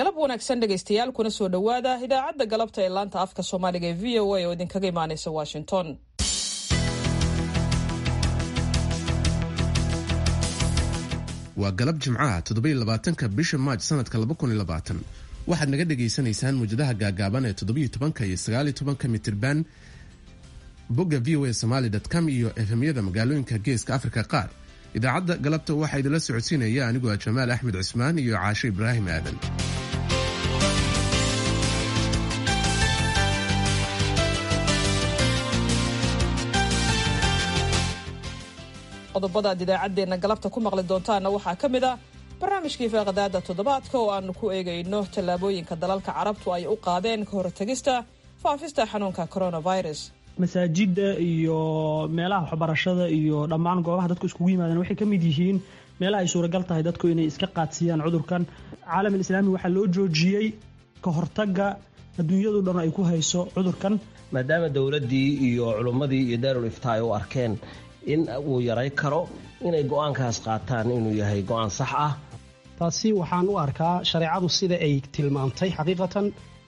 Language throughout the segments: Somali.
Galab wanaagsan dhegaystayaal, kuna soo dhowaada idaacadda galabta ee laanta afka Soomaaliga ee VOA oo idinkaga imaanaysa Washington. Waa galab Jimcaha, 27-ka bisha Maaj sanadka 2020. Waxaad naga dhagaysanaysaan muwjadaha gaagaaban ee 17-ka iyo 19-ka mitirban, bogga voa somaly com iyo FM-yada magaalooyinka Geeska Afrika qaar. Idaacadda galabta waxaa idinla socodsiinaya anigoo ah Jamaal Axmed Cusmaan iyo Caasho Ibraahim Aadan. Qodobada aad idaacaddeenna galabta ku maqli doontaanna waxaa ka mid ah barnaamijkii faaqadaada toddobaadka oo aanu ku eegayno tallaabooyinka dalalka Carabtu ay u qaadeen ka hortagista faafista xanuunka coronavirus. Masaajidda iyo meelaha waxbarashada iyo dhammaan goobaha dadku iskugu yimaadeen waxay ka mid yihiin meelaha ay suuragal tahay dadku inay iska qaadsiiyaan cudurkan. Caalam Islaami waxaa loo joojiyey ka hortagga adduunyadu dhan ay ku hayso cudurkan. Maadaama dowladdii iyo culummadii iyo daarul iftaa ay u arkeen in uu yaray karo, inay go'aankaas qaataan inuu yahay go'aan sax ah. Taasi waxaan u arkaa shareecadu sida ay tilmaamtay xaqiiqatan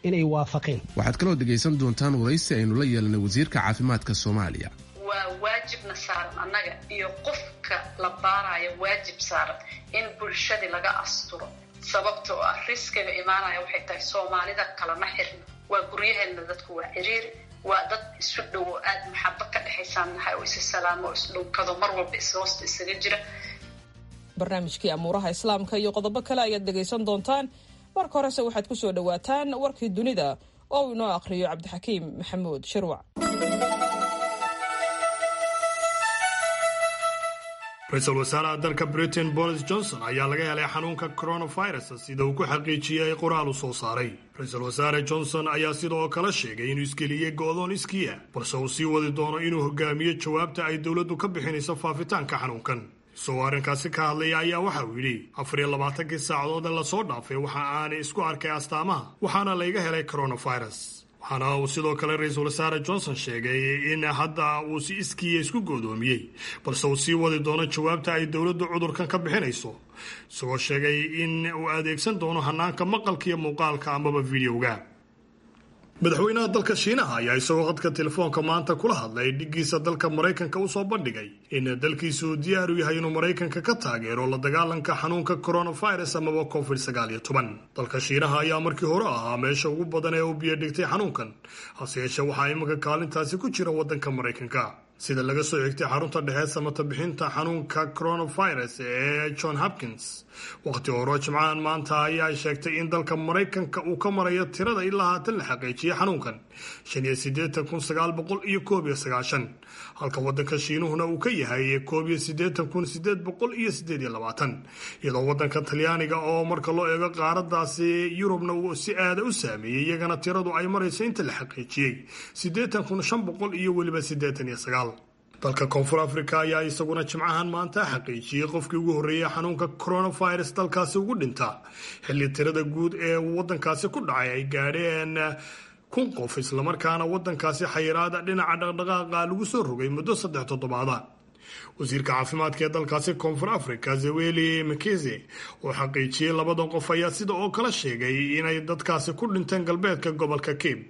inay waafaqeen. Waxaad kaloo dhegaysan doontaan waraysi aynu la yeelanay wasiirka caafimaadka Soomaaliya. Waa waajibna saaran annaga iyo qofka la baarayo, waajib saaran in bulshadii laga asturo, sababtoo ah riskiga imaanaya waxay tahay Soomaalida kalama xirno, waa guryaheenna, dadku waa ciriiri, waa dad isu dhowo, aada maxabo ka dhexaysaan nahay oo isa salaamo oo isdhunkado, mar walba ishoosta isaga jira. Barnaamijkii amuuraha Islaamka iyo qodobo kale ayaad dhegaysan doontaan. Marka horese waxaad ku soo dhowaataan warkii dunida oo uu inoo akhriyo Cabdixakiim Maxamuud Shirwac. Ra-iisul wasaaraha dalka Britain Boris Johnson ayaa laga helay xanuunka coronavirus, sida uu ku xaqiijiyey qoraal uu soo saaray. Ra-iisul wasaare Johnson ayaa sidoo kale sheegay inuu isgeliyey go'doon iskiya, balse uu sii wadi doono inuu hogaamiyo jawaabta ay dowladdu ka bixinayso faafitaanka xanuunkan. Isagoo arrinkaasi ka hadlaya ayaa waxa uu yidhi: 24-kii saacadood ee lasoo dhaafay waxa aanay isku arkay astaamaha, waxaana layga helay coronavirus. Waxaana uu sidoo kale ra-iisul wasaare Johnson sheegay in hadda uu si iskiiya isku goodoomiyey, balse uu sii wadi doono jawaabta ay dowladdu cudurkan ka bixinayso, isagoo sheegay in uu adeegsan doono hanaanka maqalka iyo muuqaalka amaba videoga. Madaxweynaha dalka Shiinaha ayaa isagoo khadka telefoonka maanta kula hadlay dhiggiisa dalka Maraykanka usoo bandhigay in dalkiisu diyaar u yahay inuu Maraykanka ka taageero la dagaalanka xanuunka coronavirus amaba COVID-19. Dalka Shiinaha ayaa markii hore ahaa meesha ugu badan ee uu biyo dhigtay xanuunkan, hase yeeshee waxaa iminka kaalintaasi ku jira waddanka Maraykanka, sida laga soo xigtay xarunta dhexe samata bixinta xanuunka coronavirus ee John Hopkins. Wakhti hore Jimcahan maanta ayaa sheegtay in dalka Maraykanka uu ka marayo tirada ilaa haatan la xaqiijiyay xanuunkan 85,991, halka waddanka Shiinuhuna uu ka yahay 81,828, iyadoo waddanka Talyaaniga oo marka loo eego qaaradaasi Yurubna uu si aada u saameeyey iyagana tiradu ay marayso inta la xaqiijiyey 80,589. Dalka Koonfur Africa ayaa isaguna Jimcahan maanta xaqiijiyey qofkii ugu horreeyey xanuunka coronavirus dalkaasi ugu dhinta, xilli tirada guud ee waddankaasi ku dhacay ay gaadheen 1000 qof, islamarkaana waddankaasi xayiraada dhinaca dhaqdhaqaaqa lagu soo rogay muddo 3 toddobaada. Wasiirka caafimaadka ee dalkaasi Koonfur Africa Zweli Mkhize oo xaqiijiyey labadan qof ayaa sida oo kale sheegay inay dadkaasi ku dhinteen galbeedka gobolka Cape.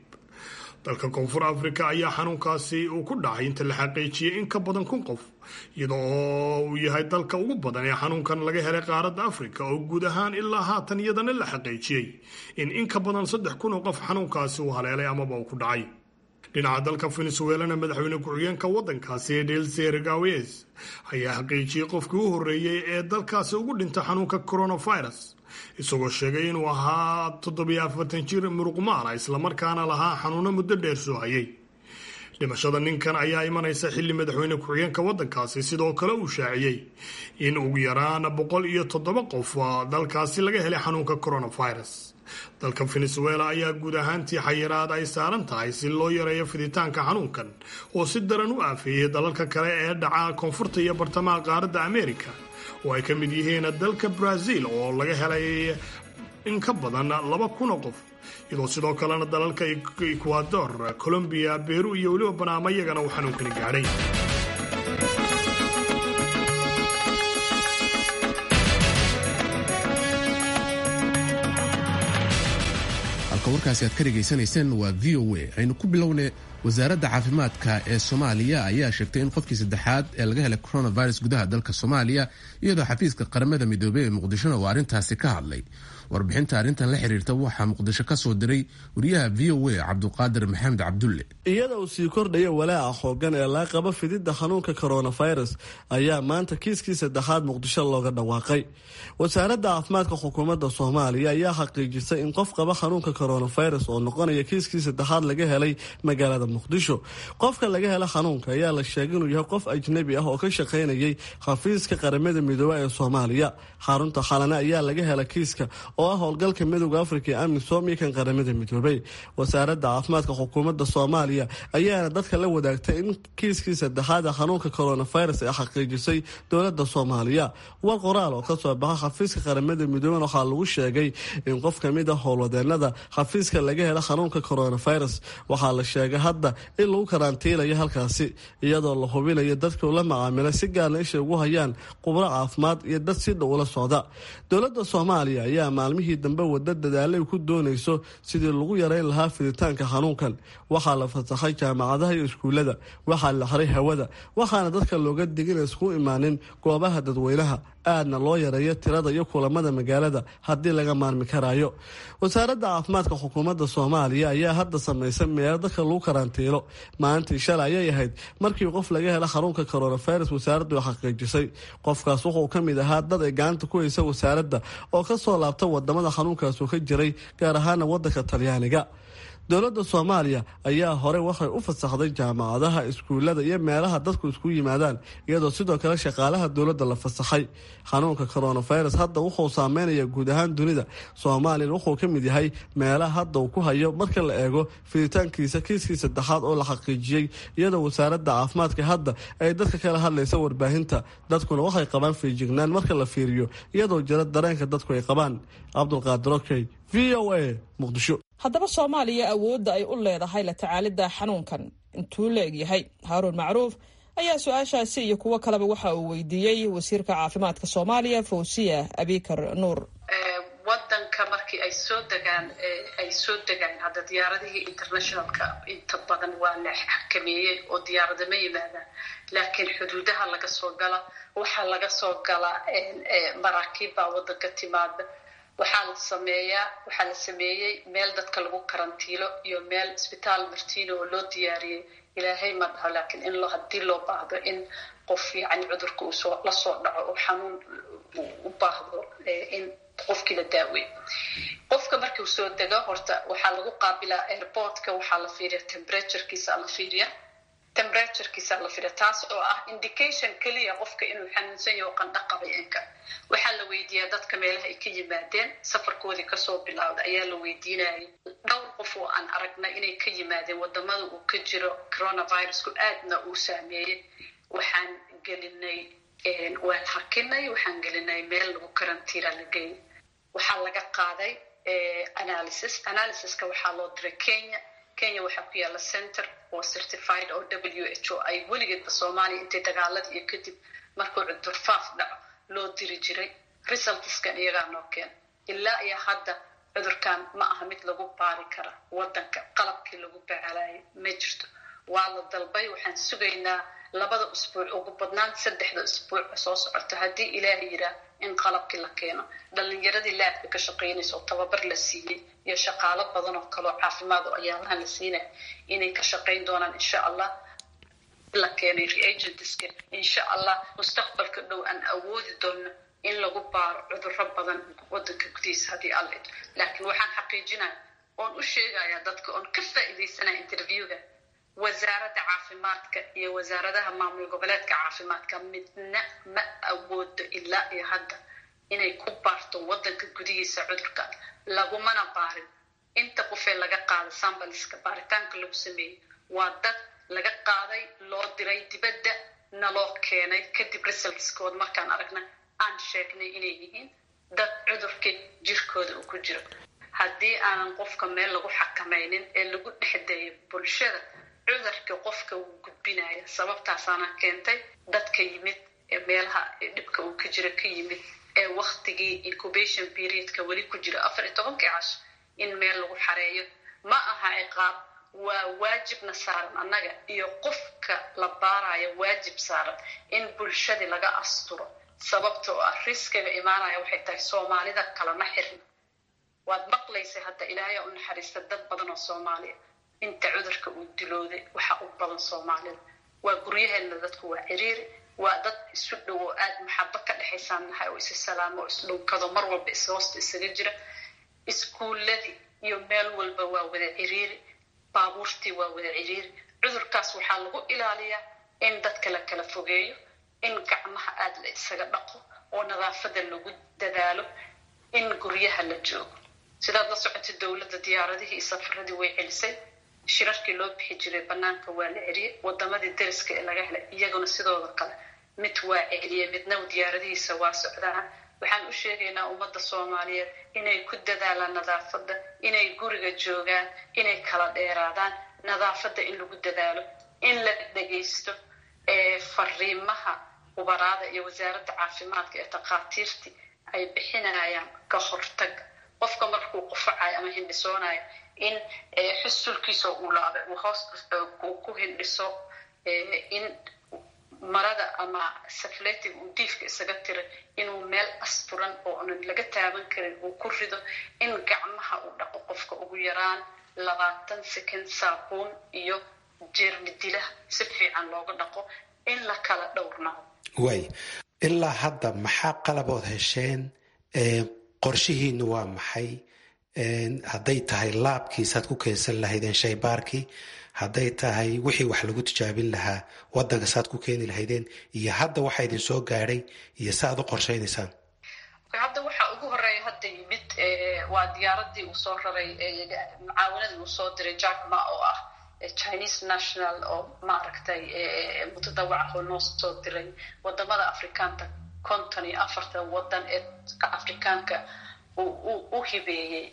Dalka Koonfur Africa ayaa xanuunkaasi uu ku dhacay inta la xaqiijiyey in ka badan 1000 qof, iyadoo oo uu yahay dalka ugu badan ee xanuunkan laga helay qaaradda Afrika, oo guud ahaan ilaa haatan iyadana la xaqiijiyey in ka badan 3000 oo qof xanuunkaasi uu haleelay amaba uu ku dhacay. Dhinaca dalka Venezuelana, madaxweyne ku-xigeenka waddankaasi Delcy Rodriguez ayaa xaqiijiyey qofkii u horreeyey ee dalkaasi ugu dhinta xanuunka coronavirus, isagoo sheegay inuu ahaa 47 jir muruqmaala, islamarkaana lahaa xanuuno muddo dheer soo hayay. Dhimashada ninkan ayaa imanaysa xilli madaxweyne ku-xigeenka waddankaasi sidoo kale uu shaaciyey in ugu yaraan 107 qof dalkaasi laga helay xanuunka coronavirus. Dalka Venezuela ayaa guud ahaantii xayiraad ay saaran tahay si loo yareeyo fiditaanka xanuunkan oo si daran u aafeeyey dalalka kale ee dhaca koonfurta iyo bartamaha qaaradda Amerika, oo ay ka mid yihiin dalka Brazil oo laga helay in ka badan 2000 oo qof, iyadoo sidoo kalena dalalka Ecuador, Colombia, Beru iyo weliba Banaama iyagana uu xanuunkani gaadhay. Halka warkaasi aad ka dhegaysanayseen waa v o a. Aynu ku bilownay, wasaaradda caafimaadka ee Soomaaliya ayaa sheegtay in qofkii saddexaad ee laga helay coronavirus gudaha dalka Soomaaliya, iyadoo xafiiska Qaramada Midoobey ee Muqdishona uu arrintaasi ka hadlay. Warbixinta arrintan la xiriirta waxaa Muqdisho ka soo diray wariyaha v o a, Cabduqaadir Maxamed Cabdulle. Iyada uu sii kordhaya walaaca xoogan ee laga qabo fididda xanuunka coronavirus ayaa maanta kiiskii saddexaad Muqdisho looga dhawaaqay. Wasaaradda caafimaadka xukuumadda Soomaaliya ayaa xaqiijisay in qof qaba xanuunka coronavirus oo noqonaya kiiskii saddexaad laga helay magaalada Muqdisho. Qofka laga hela xanuunka ayaa la sheegay inuu yahay qof ajnabi ah oo ka shaqaynayay xafiiska Qaramada Midoobey ee Soomaaliya. Xarunta Xalane ayaa laga hela kiiska, oo ah howlgalka Midowda Afrika ee AMISOM iyo kan Qaramada Midoobey. Wasaaradda caafimaadka xukuumadda Soomaaliya ayaana dadka la wadaagtay in kiiskii saddexaad ee xanuunka coronavirus ee xaqiijisay dowladda Soomaaliya. War qoraal oo kasoo baxa xafiiska Qaramada Midoobey waxaa lagu sheegay in qof kamid ah howlwadeenada xafiiska laga hela xanuunka coronavirus. Waxaa la sheegay hadda in lagu karantiilayo halkaasi, iyadoo la hubinayo dadka la macaamilay, si gaarna isha ugu hayaan khubro caafimaad iyo dad si dhow ula socda. Dowladda Soomaaliya ayaa maalmihii dambe wada dadaalay ku doonayso sidii lagu yareyn lahaa fiditaanka xanuunkan. Waxaa la fasaxay jaamacadaha iyo iskuulada, waxaa la xiray hawada, waxaana dadka looga digin isku imaanin goobaha dadweynaha, aadna loo yareeyo tirada iyo kulamada magaalada haddii laga maarmi karaayo. Wasaaradda caafimaadka xukuumadda Soomaaliya ayaa hadda sameysay meelo dadka lagu karantiilo. Maalintii shalay ayay ahayd markii qof laga hela xanuunka coronavirus wasaaraddu xaqiijisay. Qofkaas wuxuu ka mid ahaa dad ay gacanta ku haysa wasaaradda oo kasoo laabta wadamada xanuunkaas uu ka jiray, gaar ahaana wadanka Talyaaniga. Dowladda Soomaaliya ayaa hore waxay u fasaxday jaamacadaha, iskuulada iyo meelaha dadku isku yimaadaan, iyadoo sidoo kale shaqaalaha dowladda la fasaxay. Xanuunka coronavirus hadda wuxuu saameynaya guud ahaan dunida. Soomaaliyana wuxuu ka mid yahay meelaha hadda uu ku hayo marka la eego fiditaankiisa, kiiskii saddexaad oo la xaqiijiyey, iyadoo wasaaradda caafimaadka hadda ay dadka kala hadlaysa warbaahinta. Dadkuna waxay qabaan feejignaan marka la fiiriyo, iyadoo jira dareenka dadku ay qabaan. Cabdulqaadir Okey, v o a, Muqdisho. Haddaba Soomaaliya awoodda ay u leedahay la tacaalidda xanuunkan intuu la egyahay? Haaruun Macruuf ayaa su-aashaasi iyo kuwo kaleba waxa uu weydiiyey wasiirka caafimaadka Soomaaliya, Fawsiya Abikar Nuur. Wadanka markii ay soo degaan, ay soo degaan hadda diyaaradihii internationalka inta badan waa la xakameeyey oo diyaarada ma yimaadaan, laakiin xuduudaha laga soo gala, waxaa laga soo galaa maraakiib baa wadanka timaada. Waxaa la sameeyaa, waxaa la sameeyey meel dadka lagu karantiilo iyo meel isbitaal Martino oo loo diyaariyey. Ilaahay ma dhaho, laakiin in loo haddii loo baahdo in qof yani cudurka uu soo la soo dhaco oo xanuun u baahdo in qofkii la daaweeyo. Qofka markuu soo dego horta waxaa lagu qaabilaa airportka, waxaa la fiiriya temperaturekiisa la fiiriya, temperaturekiisa la fiiriya, taas oo ah indication keliya qofka inuu xanuunsan yaho, qandho qabay inka. Waxaa la weydiiyaa dadka meelaha ay ka yimaadeen, safarkoodii kasoo bilowda ayaa la weydiinayay. Dhowr qof oo aan aragnay inay ka yimaadeen wadamada uu ka jiro coronavirusku aadna uu saameeyey, waxaan gelinay, waan hakinay, waxaan gelinay meel lagu karantiila la geeyay. Waxaa laga qaaday analysis. Analysiska waxaa loo diray Kenya. Kenya waxaa ku yaalla center oo certified oo WHO ay weligeedba Soomaaliya intay dagaalada iyo kadib markuu cudur faaf dhaco loo diri jiray. Resultskan iyagaa noo keena. Ilaa iyo hadda cudurkan ma aha mid lagu baari kara wadanka, qalabkii lagu bacalayay ma jirto. Waa la dalbay, waxaan sugaynaa 2da usbuuc, ugu badnaan 3da usbuuc soo socoto, haddii Ilaahay yiraa, in qalabkii la keeno. Dhalinyaradii laabka ka shaqaynaysa oo tababar la siiyey iyo shaqaalo badan oo kaloo caafimaad oo ayaalahan la siinaya inay ka shaqayn doonaan, insha Allah, la keenay reagentska, insha Allah mustaqbalka dhow aan awoodi doono in lagu baaro cudurro badan wadanka gudihiisa haddii Alla idmo. Laakiin waxaan xaqiijinaya oon u sheegayaa dadka oon ka faa'iidaysanaya interviewga, wasaaradda caafimaadka iyo wasaaradaha maamul goboleedka caafimaadka midna ma awoodo ilaa iyo hadda inay ku baarto wadanka gudihiisa cudurka, lagumana baarin. Inta qofee laga qaaday sambaliska baaritaanka lagu sameeyey waa dad laga qaaday, loo diray dibadda, naloo keenay kadib. Resultskood markaan aragna aan sheegnay inay yihiin dad cudurka jirkooda uu ku jiro. Haddii aanan qofka meel lagu xakamaynin ee lagu dhexdeeyo bulshada, cudurka qofka wuu gudbinaya. Sababtaasaana keentay dadka yimid ee meelaha dhibka uu ka jiro ka yimid ee waktigii incubation periodka weli ku jiro, 14kii casho, in meel lagu xareeyo. Ma aha ciqaab, waa waajibna saaran annaga iyo qofka la baarayo, waajib saaran in bulshadii laga asturo. Sababtoo ah riskiga imaanaya waxay tahay Soomaalida kalama xirna. Waad maqlaysay hadda, Ilaahay u naxariista dad badan oo Soomaaliya inta cudurka uu dilooday, waxa u badan Soomaalida. Waa guryaheena, dadku waa ciriiri, waa dad isu dhow oo aada maxabo ka dhexaysaan nahay, oo isa salaamo oo isdhunkado, mar walba is hoosta isaga jira. Iskuuladii iyo meel walba waa wada ciriiri, baabuurtii waa wada ciriiri. Cudurkaas waxaa lagu ilaaliyaa in dadka la kala fogeeyo, in gacmaha aada la isaga dhaqo oo nadaafada lagu dadaalo, in guryaha la joogo. Sidaad la socotay, dowladda diyaaradihii iyo safaradii way celisay, shirarkii loo bixi jiray banaanka waa la celiyey. Wadamadii dariska ee laga helay iyaguna sidooda kale, mid waa celiyey, midna diyaaradihiisa waa socdaan. Waxaan u sheegaynaa ummadda Soomaaliyeed inay ku dadaalaan nadaafadda, inay guriga joogaan, inay kala dheeraadaan, nadaafadda in lagu dadaalo, in la dhegaysto fariimaha khubaraada iyo wasaaradda caafimaadka ee takhaatiirtii ay bixinayaan ka hortag. Qofka markuu qufacayo ama hindhisoonayo, in xusulkiisa uu laabay uu hoos ku hindhiso, in marada ama safletiga uu diifka isaga tiray inuu meel asturan oo unan laga taaban karin uu ku rido, in gacmaha uu dhaqo qofka ugu yaraan 20 second saabuun iyo jeermi dilaha si fiican looga dhaqo, in la kala dhowrnaado. Waay, ilaa hadda maxaa qalabood hesheen? Qorshihiinu waa maxay? Hadday tahay laabkiisaad ku keensan lahaydeen shaybaarkii, hadday tahay wixii wax lagu tijaabin lahaa wadanka saad ku keeni lahaydeen, iyo hadda waxa idin soo gaadhay iyo saaad u qorshaynaysaan? Hadda waxaa ugu horeeya hadda yimid waa diyaaradii uu soo raray, mucaawanadii uu soo diray Jack Ma oo ah Chinese national oo maaragtay mutadawac oo noo soo diray wadamada Afrikaanta, 54-ta wadan ee Afrikaanka u hibeeyey,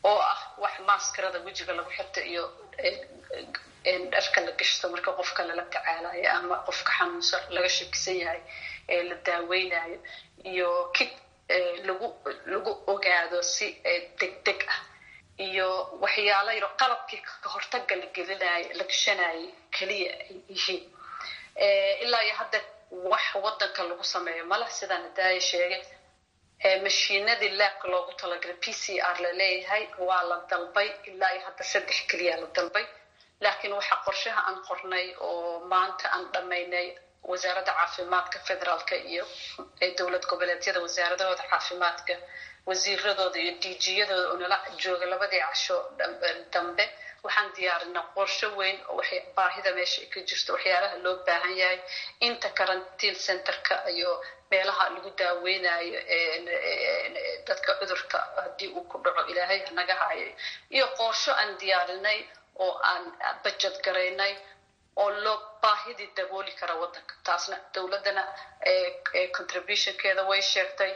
oo ah wax maskarada wejiga lagu xirto iyo dharka la gashto marka qofka lala tacaalayo ama qofka xanuunsan laga shakisan yahay ee la daaweynayo, iyo kit lagu ogaado si degdeg ah, iyo waxyaalo yaro qalabkii kahortaga la gelinayo la gashanayay keliya ay yihiin. Ilaa iyo hadda wax wadanka lagu sameeyo mala. Sidaan hadaaya sheegay, mashiinadii laabka loogu talagalay PCR laleeyahay waa la dalbay, ilaa iyo hadda saddex keliya la dalbay. Laakiin waxaa qorshaha aan qornay oo maanta aan dhammaynay wasaaradda caafimaadka federaalka iyo dowlad goboleedyada wasaaradahooda caafimaadka, wasiiradooda iyo DG-yadooda oo nala jooga labadii casho dambe, waxaan diyaarinaa qorsho weyn oo baahida meesha ka jirto, waxyaalaha loo baahan yahay, inta quarantine centerka iyo meelaha lagu daaweynayo dadka cudurka haddii uu ku dhaco, Ilaahay hanaga hayo, iyo qorsho aan diyaarinay oo aan bajad garaynay oo loo baahidii dabooli kara wadanka. Taasna dowladdana contributionkeeda way sheegtay.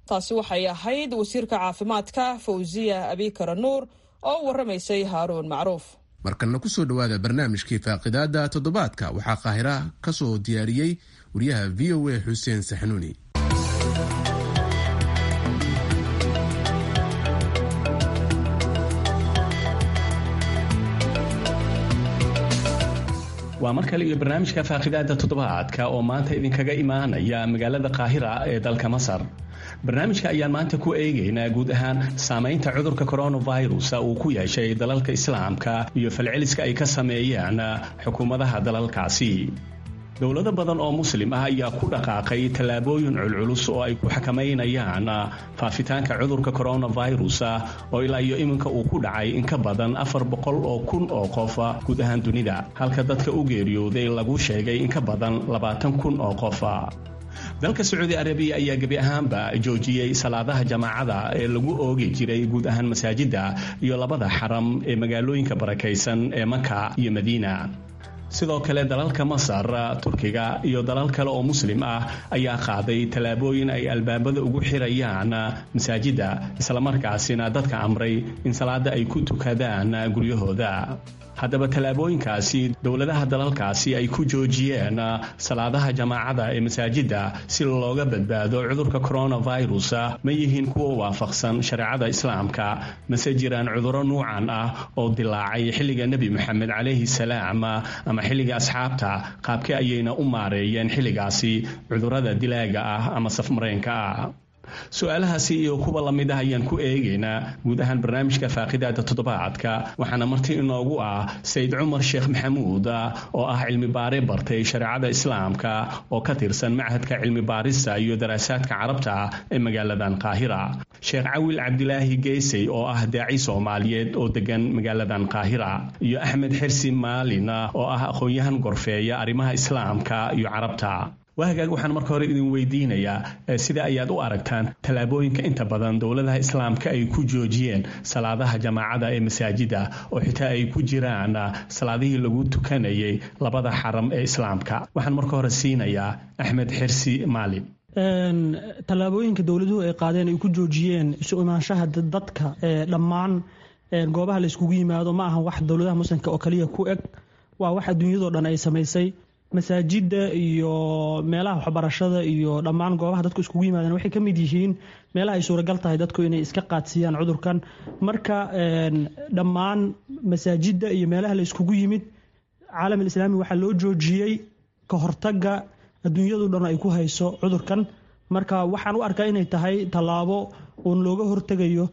Taasi waxay ahayd wasiirka caafimaadka Fawziya Abikara Nuur oo u warramaysay Haaruun Macruuf. Markanna ku soo dhowaada barnaamijkii faaqidaada toddobaadka. Waxaa Qaahira ka soo diyaariyey wariyaha VOA Xuseen Saxnuuni. Waa mar kale iyo barnaamijka faaqidaada toddobaadka oo maanta idinkaga imaanaya magaalada Qaahira ee dalka Masar. Barnaamijka ayaan maanta ku eegaynaa guud ahaan saamaynta cudurka coronavirus uu ku yeeshay dalalka Islaamka iyo falceliska ay ka sameeyeen xukuumadaha dalalkaasi. Dowlado badan oo Muslim ah ayaa ku dhaqaaqay tallaabooyin culculus oo ay ku xakamaynayaan faafitaanka cudurka coronavirus, oo ilaa iyo iminka uu ku dhacay in ka badan 400,000 oo qof guud ahaan dunida, halka dadka u geeriyooday lagu sheegay in ka badan 20,000 oo qof. Dalka Sacuudi Arabiya ayaa gebi ahaanba joojiyey salaadaha jamaacada ee lagu oogi jiray guud ahaan masaajida iyo labada xaram ee magaalooyinka barakaysan ee Maka iyo Madiina. Sidoo kale dalalka Masar, Turkiga iyo dalal kale oo Muslim ah ayaa qaaday tallaabooyin ay albaabada ugu xirayaan masaajidda, islamarkaasina dadka amray in salaada ay ku tukadaan guryahooda. Haddaba tallaabooyinkaasi dowladaha dalalkaasi ay ku joojiyeen salaadaha jamaacada ee masaajidda si looga badbaado cudurka coronavirus ma yihiin kuwa waafaqsan shareecada Islaamka, mase jiraan cudurro nuucan ah oo dilaacay xilliga Nebi Moxamed calayhi salaam ama xilliga asxaabta? Qaabkee ayayna u maareeyeen xilligaasi cudurrada dilaaga ah ama safmareenka ah? Su-aalahaasi iyo kuwa lamid ah ayaan ku eegaynaa guud ahaan barnaamijka faaqidaada toddobaadka, waxaana marti inoogu ah Sayid Cumar Sheekh Maxamuud oo ah cilmi baare bartay shareecada Islaamka oo ka tirsan Machadka Cilmi Baarista iyo Daraasaadka Carabta ee magaaladan Qaahira, Sheekh Cawil Cabdilaahi Geysey oo ah daaci Soomaaliyeed oo degan magaaladan Qaahira, iyo Axmed Xirsi Maalin oo ah aqoon-yahan gorfeeya arrimaha Islaamka iyo Carabta. Waa hagaag, waxaan marka hore idin weydiinayaa sida ayaad u aragtaan tallaabooyinka inta badan dowladaha Islaamka ay ku joojiyeen salaadaha jamaacada ee masaajida, oo xitaa ay ku jiraan salaadihii lagu tukanayay labada xaram ee Islaamka. Waxaan marka hore siinayaa Axmed Xirsi Maalin. Tallaabooyinka dowladuhu ay qaadeen ay ku joojiyeen isu imaanshaha dadka ee dhammaan goobaha la iskugu yimaado ma aha wax dowladaha Muslimka oo kaliya ku eg, waa wax adduunyadoo dhan ay samaysay. Masaajidda iyo meelaha waxbarashada iyo dhammaan goobaha dadku iskugu yimaadeen waxay ka mid yihiin meelaha ay suuragal tahay dadku inay iska qaadsiiyaan cudurkan. Marka dhammaan masaajidda iyo meelaha la iskugu yimid caalamul islaami waxaa loo joojiyey ka hortagga adduunyadu dhan ay ku hayso cudurkan. Marka waxaan u arkaa inay tahay tallaabo uun looga hortegayo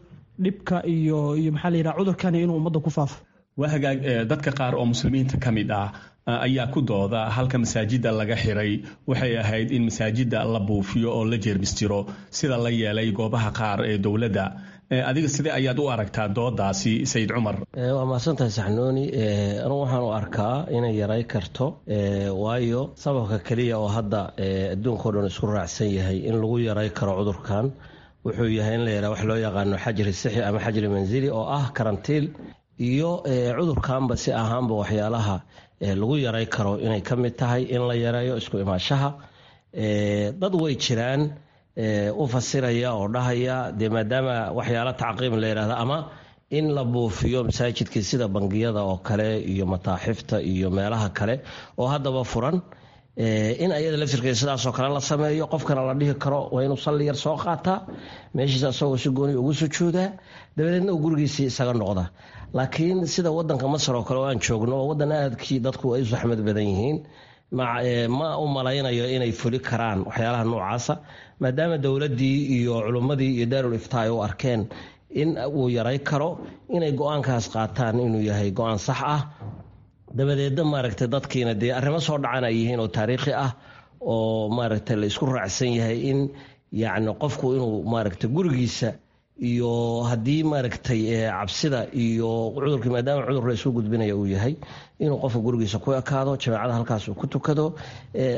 dhibka iyo maxaa la yidhaha cudurkani inuu ummadda ku faafo. Waa hagaag, dadka qaar oo Muslimiinta ka mid ah ayaa ku dooda halka masaajidda laga xiray waxay ahayd in masaajidda la buufiyo oo la jeermistiro, sida la yeelay goobaha qaar ee dowladda. Adiga sidee ayaad u aragtaa doodaasi, Sayid Cumar? Waa mahadsantahay Saxnuuni. Anugu waxaan u arkaa inay yaray karto, waayo sababka keliya oo hadda adduunka o dhan isku raacsan yahay in lagu yaray karo cudurkan wuxuu yahay in la yaraa wax loo yaqaano xajri sixi ama xajri manzili oo ah karantiil, iyo cudurkanba si ahaanba waxyaalaha lagu yaray karo inay ka mid tahay in la yareeyo isku imaanshaha. Dad way jiraan u fasiraya oo dhahaya dee maadaama waxyaala tacqiim la yidhahda ama in la buufiyo masaajidkii sida bangiyada oo kale iyo mataaxifta iyo meelaha kale oo haddaba furan, in ayada laftirkeeda sidaasoo kale la sameeyo, qofkana la dhihi karo waa inuu salli yar soo qaataa meeshiisa asagoo si gooni ugu sujuudaa, dabadeedna uu gurigiisii isaga noqda. Laakiin sida wadanka Masar oo kale oo aan joogno, oo wadan aadkii dadku ay u saxmad badan yihiin, ma u malaynayo inay fuli karaan waxyaalaha noocaasa, maadaama dowladdii iyo culummadii iyo daarul iftaa ay u arkeen in uu yaray karo, inay go-aankaas qaataan inuu yahay go-aan sax ah. Dabadeedna maaragtay dadkiina dee arrimo soo dhacan ay yihiin oo taariikhi ah oo maaragtay la isku raacsan yahay in yacni qofku inuu maaragtay gurigiisa iyo haddii maaragtay cabsida iyo cudurkii maadaama cudur la isku gudbinaya uu yahay, inuu qofka gurigiisa ku ekaado, jamaacada halkaas uu ku tukado,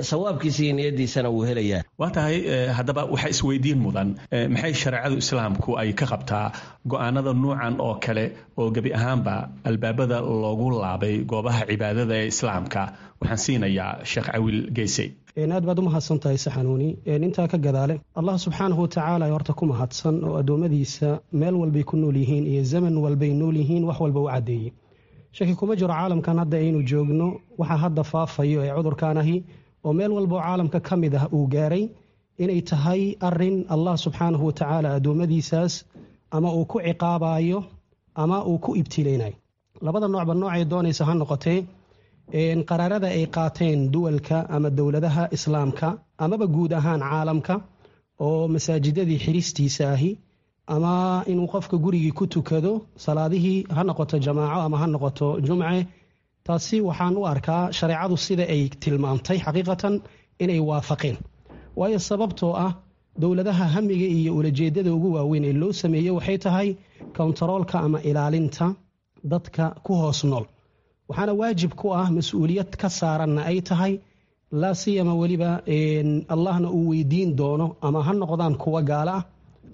sawaabkiisa iyo niyadiisana wuu helayaa. Waa tahay. Haddaba waxaa isweydiin mudan, maxay shareecadu Islaamku ay ka qabtaa go-aanada nuucan oo kale oo gebi ahaanba albaabada loogu laabay goobaha cibaadada ee Islaamka? Waxaan siinayaa Sheekh Cawil Geysey. Aad baad u mahadsan tahay Saxanuuni. Intaa ka gadaale, Allah subxaanahu watacaala horta ku mahadsan oo addoommadiisa meel walbay ku nool yihiin iyo zaman walbay nool yihiin wax walba u caddeeyey. Shaki kuma jiro caalamkan hadda aynu joogno waxa hadda faafayo ee cudurkan ahi oo meel walboo caalamka ka mid ah uu gaaray inay tahay arin Allah subxaanahu watacaala addoommadiisaas ama uu ku ciqaabayo ama uu ku ibtileynayo. Labada noocba noocay doonaysa ha noqotee, qaraarada ay qaateen duwalka ama dowladaha Islaamka amaba guud ahaan caalamka oo masaajidadii xiristiisa ahi ama inuu qofka gurigii ku tukado salaadihii, ha noqoto jamaaco ama ha noqoto jumce, taasi waxaan u arkaa shareecadu sida ay tilmaamtay xaqiiqatan inay waafaqeen. Waayo sababtoo ah dowladaha hamiga iyo ulajeedada ugu waaweyn ee loo sameeyey waxay tahay kontaroolka ama ilaalinta dadka ku hoos nool, waxaana waajib ku ah mas-uuliyad ka saaranna ay tahay, laa siyama weliba Allahna uu weydiin doono, ama ha noqdaan kuwa gaala ah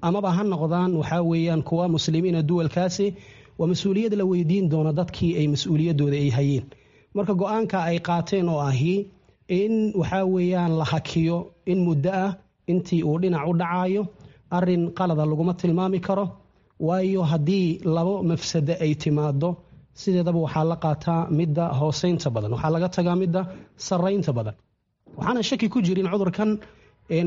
amaba ha noqdaan waxaa weeyaan kuwa muslimiina duwalkaasi, waa mas-uuliyad la weydiin doono dadkii ay mas-uuliyaddooda ay hayeen. Marka go-aanka ay qaateen oo ahi in waxaa weeyaan la hakiyo in muddo ah intii uu dhinac u dhacayo, arin qalada laguma tilmaami karo. Waayo, haddii labo mafsado ay timaado, sideedaba waxaa la qaataa midda hooseynta badan, waxaa laga tagaa midda saraynta badan. Waxaana shaki ku jirin cudurkan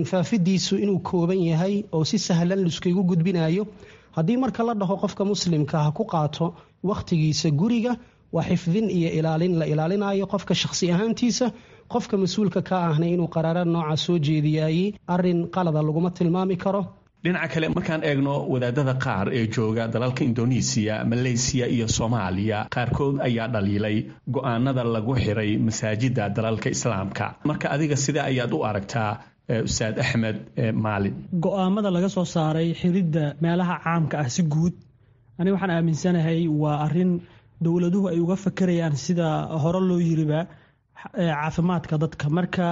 faafidiisu inuu kooban yahay oo si sahlan laiskagu gudbinayo. Haddii marka la dhaho qofka muslimka ha ku qaato wakhtigiisa guriga, waa xifdin iyo ilaalin la ilaalinayo qofka shakhsi ahaantiisa. Qofka mas-uulka ka ahna inuu qaraara nooca soo jeediyaayey arin qalada laguma tilmaami karo. Dhinaca kale, markaan eegno wadaadada qaar ee jooga dalalka Indonesiya, Maleysiya iyo Soomaaliya, qaarkood ayaa dhaliilay go-aanada lagu xiray masaajida dalalka Islaamka. Marka adiga sidee ayaad u aragtaa, Ustaad Axmed Maalin? Go-aamada laga soo saaray xiridda meelaha caamka ah si guud, aniga waxaan aaminsanahay waa arin dowladuhu ay uga fakerayaan, sida hore loo yiriba, caafimaadka dadka. Marka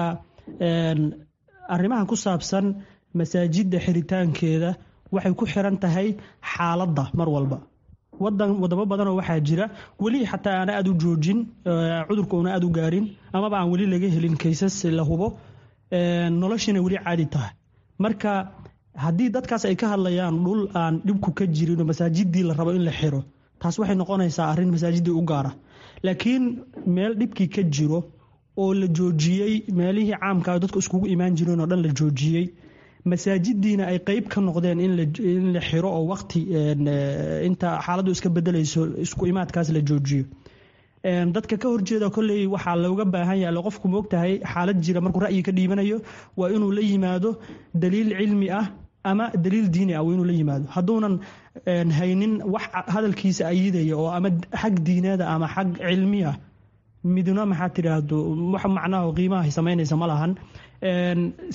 arrimaha ku saabsan masaajidda xiritaankeeda waxay ku xiran tahay xaaladda mar walba. Wadan wadamo badanoo waxaa jira weli xataa aana aada u joojin cudurka, una aada u gaarin, amaba aan weli laga helin kaysas la hubo, noloshiina weli caadi tahay. Marka haddii dadkaas ay ka hadlayaan dhul aan dhibku ka jirin oo masaajidii la rabo in la xiro, taas waxay noqonaysaa arrin masaajidii u gaara. Laakiin meel dhibkii ka jiro oo la joojiyey meelihii caamka dadku iskugu imaan jireen oo dhan la joojiyey, masaajidiina ay qeyb ka noqdeen in la xiro oo waqti inta xaaladdu iska bedelayso isku imaadkaas la joojiyo, dadka ka horjeeda kolley waxaa looga baahan yahay, qofku moogtahay xaalad jira markuu ra'yi ka dhiibanayo waa inuu la yimaado daliil cilmi ah ama daliil diini ah, waa inuu la yimaado. Hadduunan haynin wax hadalkiisa ayidaya oo ama xag diineeda ama xag cilmi ah midna, maxaa tidhaahdo, wax macnaha qiimaha samaynaysa ma lahan.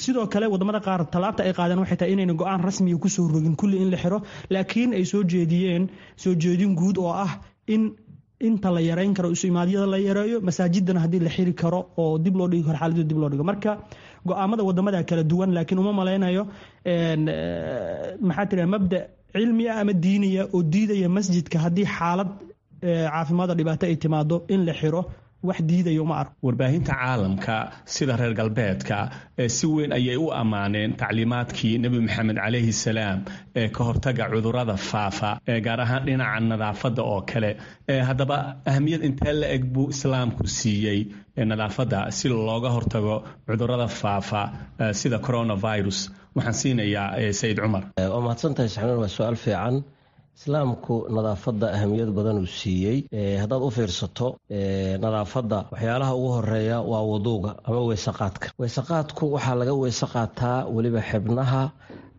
Sidoo kale wadamada qaar tallaabta ay qaadeen waxay tahay inayna go-aan rasmiga kusoo rogin kulli in la xiro, laakiin ay soo jeediyeen soo jeedin guud oo ah in inta la yareyn karo isu imaadyada la yareeyo, masaajidana haddii la xiri karo oo dib loo dhigi karo xaaladdu dib loo dhigo. Marka go-aamada wadamada kala duwan, laakiin uma malaynayo, maxaa tidhaha, mabda cilmi ah ama diiniya oo diidaya masjidka haddii xaalad caafimaada dhibaato ay timaado in la xiro, wax diidayo ma arko. Warbaahinta caalamka sida reer galbeedka si weyn ayay u ammaaneen tacliimaadkii Nebi Maxamed calayhi salaam ee ka hortaga cudurrada faafa, gaar ahaan dhinaca nadaafadda oo kale. Haddaba ahamiyad intee la eg buu Islaamku siiyey nadaafadda si looga hortago cudurrada faafa sida coronavirus? Waxaan siinayaa Sayid Cumar. Waa mahadsantahay Saxnuun, waa su-aal fiican. Islaamku nadaafadda ahamiyad badan uu siiyey. Haddaad u fiirsato nadaafadda, waxyaalaha ugu horeeya waa wuduuga ama weysaqaadka. Weysaqaadku waxaa laga weyse qaataa weliba xibnaha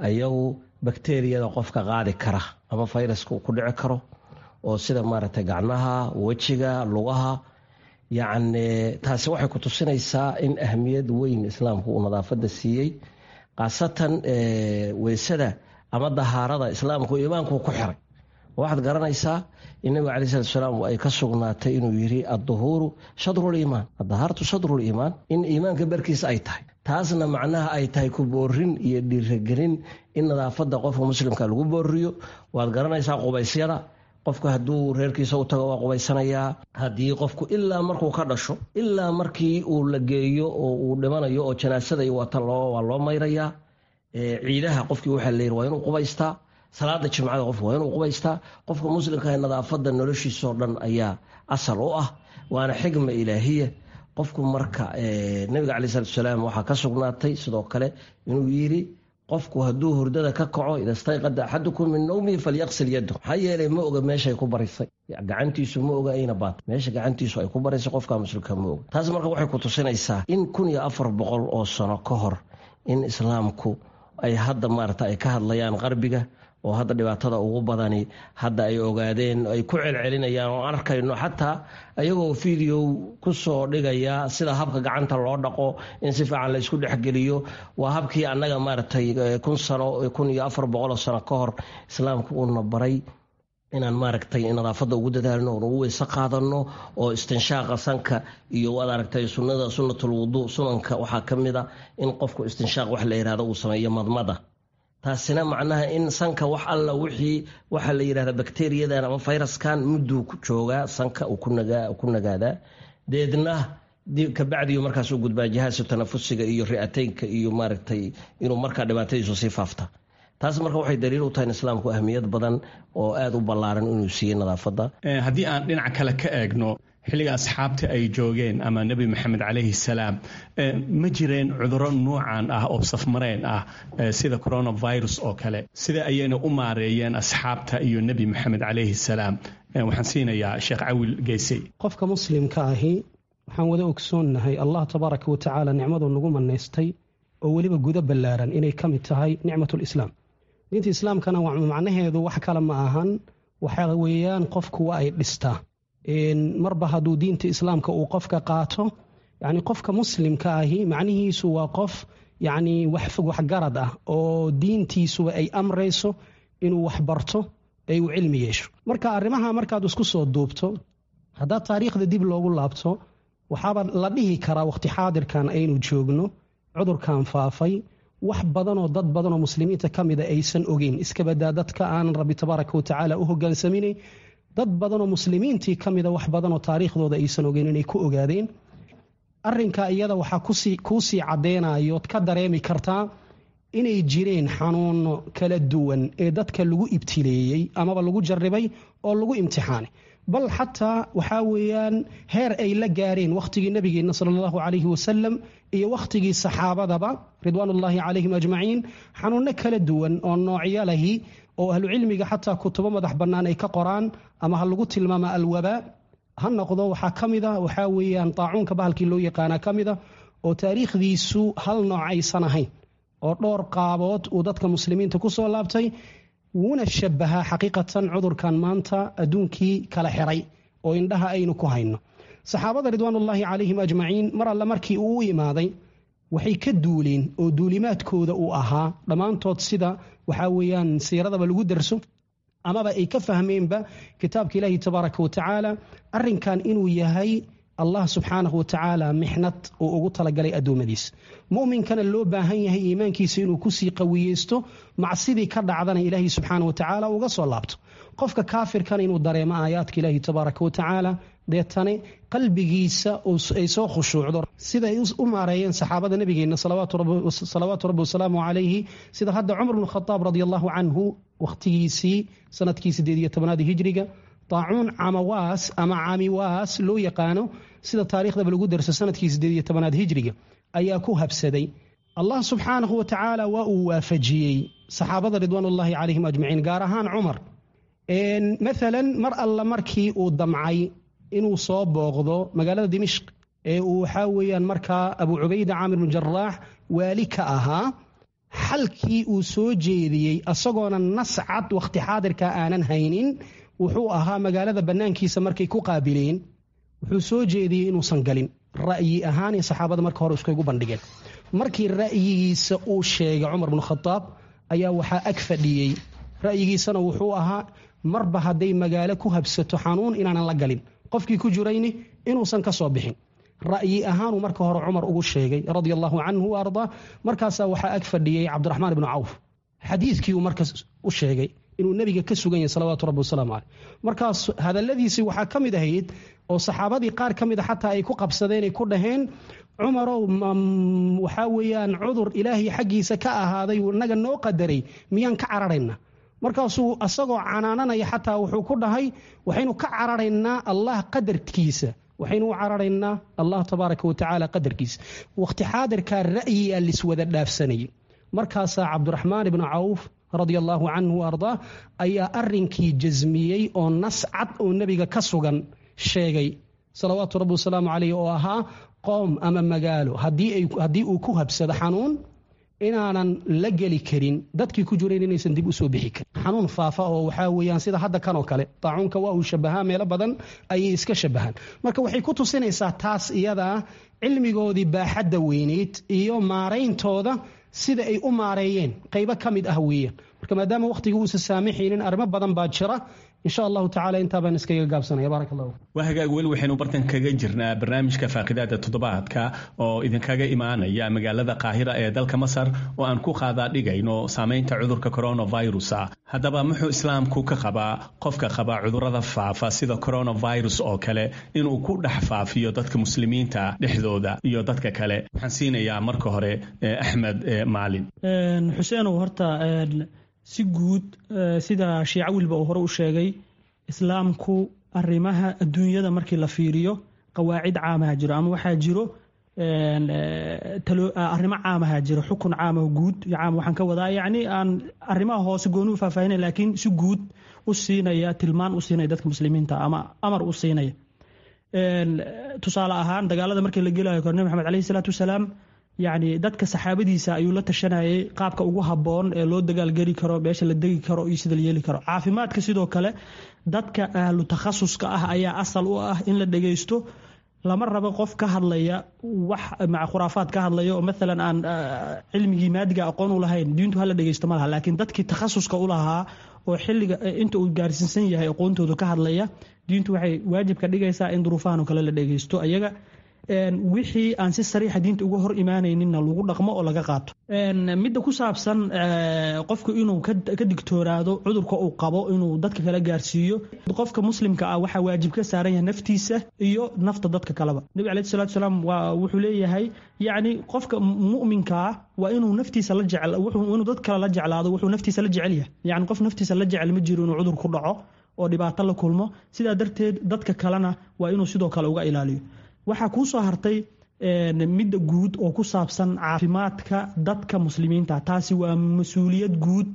ayagu bakteriyada qofka qaadi kara ama fayraska uu ku dhici karo, oo sida maaragtay gacmaha, wejiga, lugaha. Yacni taasi waxay ku tusinaysaa in ahamiyad weyn Islaamku uu nadaafadda siiyey, khaasatan weysada ama dahaarada. Islaamku iimaanku ku xiray. Waxaad garanaysaa in Nabiga calai salatu salaam ay ka sugnaatay inuu yiri adduhuuru shadruliimaan, addahaaratu shadruliimaan, in iimaanka barkiisa ay tahay. Taasna macnaha ay tahay ku boorin iyo dhiiragelin in nadaafadda qofka muslimka lagu booriyo. Waad garanaysaa qubaysyada, qofku hadduu reerkiisa u tago waa qubaysanayaa. Haddii qofku ilaa markuu ka dhasho ilaa markii uu la geeyo oo uu dhimanayo oo janaasada iyo waata waa loo mayrayaa. Ciidaha qofkii waxaa la yiri waa inuu qubaystaa, salaada jimcada qofku waa inuu qubaystaa. Qofka muslimka nadaafadda noloshiisoo dhan ayaa asal u ah, waana xigma ilaahiya. Qofku marka nabiga calai salatu salaam waxaa ka sugnaatay sidoo kale inuu yiri qofku hadduu hurdada ka kaco, ida stayqada axadukum min nawmihi falyaqsil yaddo, maxaa yeelay ma oga meeshay ku barisay gacantiisu, ma oga ayna baata meesha gacantiisu ay ku barisay, qofka muslimka ma oga. Taas marka waxay ku tusinaysaa in 1400 oo sano ka hor in Islaamku ay hadda maarata ay ka hadlayaan qarbiga, oo hadda dhibaatada ugu badani hadda ay ogaadeen, ay ku celcelinayaan oo arkayno xataa ayagoo video ku soo dhigaya sida habka gacanta loo dhaqo, in si fiican la isku dhexgeliyo. Waa habkii annaga maaragtay 1000 sano, 1400 sano ka hor Islaamku uuna baray inaan maaragtay nadaafadda ugu dadaalno oon ugu weyse qaadano, oo istinshaaqa sanka iyo waad aragtay sunnada sunnatul wuduu, sunanka waxaa ka mid a in qofku istinshaaq wax la yihahdo uu sameeyo, madmada. Taasina macnaha in sanka wax alla wixii waxaa la yidhahda bakteriyadan ama fayraskan mudduu ku joogaa sanka uu ku nagaadaa. Deedna kabacdiyu markaas u gudbaa jihaasu tanafusiga iyo ri'ateynka iyo maaragtay inuu markaa dhibaatadiisu sii faafta. Taas marka waxay daliil u tahay in islaamku ahmiyad badan oo aada u ballaaran inuu siiyey nadaafadda. Haddii aan dhinaca kale ka eegno, xilliga asxaabta ay joogeen ama Nebi Maxamed calayhi salaam, ma jireen cudurro nuucan ah oo safmareen ah sida coronavirus oo kale? Sida ayayna u maareeyeen asxaabta iyo Nebi Maxamed calayhi salaam? Waxaan siinayaa Sheekh Cawil Geysey. Qofka muslimka ahi, waxaan wada ogsoonnahay Allah tabaaraka wa tacaala nicmadu nagu manaystay oo weliba gudo ballaaran inay ka mid tahay nicmatulislaam. Diinta islaamkana macnaheedu wax kale ma ahan, waxa weeyaan qofku waa ay dhistaa. Marba hadduu diinta islaamka uu qofka qaato, yacni qofka muslimka ahi macnihiisu waa qof yacni wax waxgarad ah oo diintiisuba ay amrayso inuu wax barto ee uu cilmi yeesho. Marka arrimaha markaad isku soo duubto, haddaad taariikhda dib loogu laabto, waxaaba la dhihi karaa waqti xaadirkan aynu joogno cudurkan faafay wax badanoo dad badanoo muslimiinta ka mida aysan ogeyn, iska badaa dadka aanan Rabbi tabaaraka wa tacaala u hogaansaminay, dad badanoo muslimiintii ka mida wax badanoo taariikhdooda aysan ogeyn inay ku ogaadeen arrinka iyada. Waxaa kuusii caddeynayood ka dareemi kartaa inay jireen xanuuno kala duwan ee dadka lagu ibtileeyey amaba lagu jarribay oo lagu imtixaanay, bal xataa waxaa weeyaan heer ay la gaareen wakhtigii nabigeenna sala allahu calayhi wasalam iyo wakhtigii saxaabadaba ridwaanullaahi calayhim ajmaciin, xanuunno kala duwan oo noocyo lahi oo ahlucilmiga xataa kutubo madax bannaan ay ka qoraan, ama ha lagu tilmaama alwabaa ha noqdo. Waxaa ka mid a waxaa weeyaan taacuunka bahalkii loo yaqaanaa ka mid a, oo taariikhdiisu hal nooc aysan ahayn oo dhowr qaabood uu dadka muslimiinta ku soo laabtay, wuuna shabahaa xaqiiqatan cudurkan maanta adduunkii kala xiray oo indhaha aynu ku hayno. Saxaabada ridwaanullaahi calayhim ajmaciin mar alle markii uu u imaaday waxay ka duuleen oo duulimaadkooda uu ahaa dhammaantood, sida waxaa weeyaan siiradaba lagu darso amaba ay ka fahmeenba kitaabka Ilaahi tabaaraka wa tacaala, arrinkan inuu yahay Allah subxaanahu wa tacaala mixnad uu ugu talagalay addoommadiisa, mu'minkana loo baahan yahay iimaankiisa inuu kusii qawiyeysto, macsidii ka dhacdana Ilaahay subxaana wa tacaala uga soo laabto, qofka kaafirkana inuu dareemo aayaadka Ilaahi tabaaraka wa tacaala, deetane qalbigiisa ay soo khushuucdo. Sida ay u maareeyeen saxaabada nabigeenna salawaatu rabbi wasalaamu calayhi, sida hadda Cumar bnu Khadaab radi allahu canhu wakhtigiisii sanadkii 18aad hijriga taacuun camawaas ama camiwaas loo yaqaano, sida taariikhdaba lagu darso, sanadkii 18aad hijriga ayaa ku habsaday. Allah subxaanahu wa tacaala waa uu waafajiyey saxaabada ridwaanullaahi calayhim ajmaciin, gaar ahaan Cumar. Maalan mar alla markii uu damcay inuu soo booqdo magaalada Dimishq ee uu waxaa weeyaan markaa Abu Cubayda Caamir bnu Jaraax waali ka ahaa, xalkii uu soo jeediyey asagoona nas cad wakhti xaadirka aanan haynin wuxuu ahaa, magaalada bannaankiisa markay ku qaabileen, wuxuu soo jeediyey inuusan galin. Ra'yi ahaanay saxaabada marka hore iskugu bandhigeen. Markii ra'yigiisa uu sheegay Cumar bnu Khadaab ayaa waxaa ag fadhiyey, ra'yigiisana wuxuu ahaa marba hadday magaalo ku habsato xanuun inaanan la galin, qofkii ku jirayni inuusan ka soo bixin. Ra'yi ahaanuu marka hore Cumar ugu sheegay radia allahu canhu wa ardaa. Markaasaa waxaa ag fadhiyey Cabdiraxmaan ibnu Cawf. Xadiidkii uu markaas u sheegay inuu nebiga ka sugan yahay salawaatu rabbi wasalaamu caleyh. Markaas hadalladiisii waxaa ka mid ahayd oo saxaabadii qaar ka mid a xataa ay ku qabsadeen ay ku dhaheen: "Cumarow, waxaa weeyaan cudur Ilaahay xaggiisa ka ahaaday uu inaga noo qadaray miyaan ka cararayna?" Markaasuu asagoo canaananaya xataa wuxuu ku dhahay: "Waxaynu ka cararaynaa Allah qadarkiisa, waxaynu u cararaynaa Allah tabaaraka wa tacaala qadarkiisa." Waqti xaadirkaa ra'yiyaa liswada dhaafsanayay. Markaasaa Cabdiraxmaan ibnu Cawf radia allahu canhu wa ardaa ayaa arrinkii jasmiyey oo nas cad oo nebiga ka sugan sheegay salawaatu rabbi wasalaamu caleyh, oo ahaa qoom ama magaalo haddii uu ku habsado xanuun inaanan la geli karin, dadkii ku jirayn inaysan dib usoo bixi karin. Xanuun faafa oo waxaa weeyaan sida hadda kanoo kale taacuunka waa uu shabahaa, meelo badan ayay iska shabahaan. Marka waxay ku tusinaysaa taas iyadaa cilmigoodii baaxadda weyneyd iyo maarayntooda sida ay u maareeyeen qaybo ka mid ah weeyaan. Marka maadaama wakhtiga uusa saamixaynin, arrimo badan baa jira. Insha Allahu tacala intaa baan iskaga gaabsanaya. Baarak Allah. Waa hagaag. Weli waxaynu bartan kaga jirnaa barnaamijka faaqidaada toddobaadka oo idinkaga imaanaya magaalada Qaahira ee dalka Masar, oo aan ku qaadaa dhigayno saameynta cudurka coronavirus. Haddaba muxuu Islaamku ka qabaa qofka qaba cudurrada faafa sida coronavirus oo kale inuu ku dhex faafiyo dadka muslimiinta dhexdooda iyo dadka kale? Waxaan siinayaa marka hore Axmed Maalin. Xuseenow, horta si guud, sida Shiica wilba uu hore u sheegay, Islaamku arrimaha adduunyada markii la fiiriyo qawaacid caamaha jiro ama waxaa jiro arrimo caamaha jiro, xukun caamaha guud caam. Waxaan ka wadaa, yacni, aan arrimaha hoose gooni u faahfaahinay, laakiin si guud u siinaya tilmaan, u siinaya dadka muslimiinta ama amar u siinaya. Tusaale ahaan, dagaalada markii la gelayo kor, Nabi Maxamed caleyhi salaatu wasalaam, yacni, dadka saxaabadiisa ayuu la tashanayay qaabka ugu habboon ee loo dagaalgeli karo, meesha la degi karo iyo sida la yeeli karo. Caafimaadka sidoo kale, dadka ahlu takhasuska ah ayaa asal u ah in la dhegeysto. Lama rabo qof ka hadlaya wax maca khuraafaad ka hadlaya oo maalan aan cilmigii maadiga aqoon u lahayn. Diintu hala dhegeysto ma laha, laakiin dadkii takhasuska u lahaa oo xilliga inta uu gaarsiinsan yahay aqoontooda ka hadlaya, diintu waxay waajib ka dhigaysaa in duruufahan oo kale la dhegeysto ayaga, wixii aan si sariixa diinta uga hor imaanayninna lagu dhaqmo oo laga qaato. Midda ku saabsan qofku inuu ka digtoonaado cudurka uu qabo inuu dadka kala gaarsiiyo, qofka muslimka ah waxaa waajib ka saaran yahay naftiisa iyo nafta dadka kaleba. Nabi caleyhi salatu wasalaam waa wuxuu leeyahay, yacni, qofka mu'minka ah waa inuu naftiisa la jecel, inuu dad kale la jeclaado wuxuu naftiisa la jecel yahay. Yacni, qof naftiisa la jecel ma jiro inuu cudur ku dhaco oo dhibaato la kulmo. Sidaa darteed dadka kalena waa inuu sidoo kale uga ilaaliyo. Waxaa kuu soo hartay midda guud oo ku saabsan caafimaadka dadka muslimiinta. Taasi waa mas-uuliyad guud,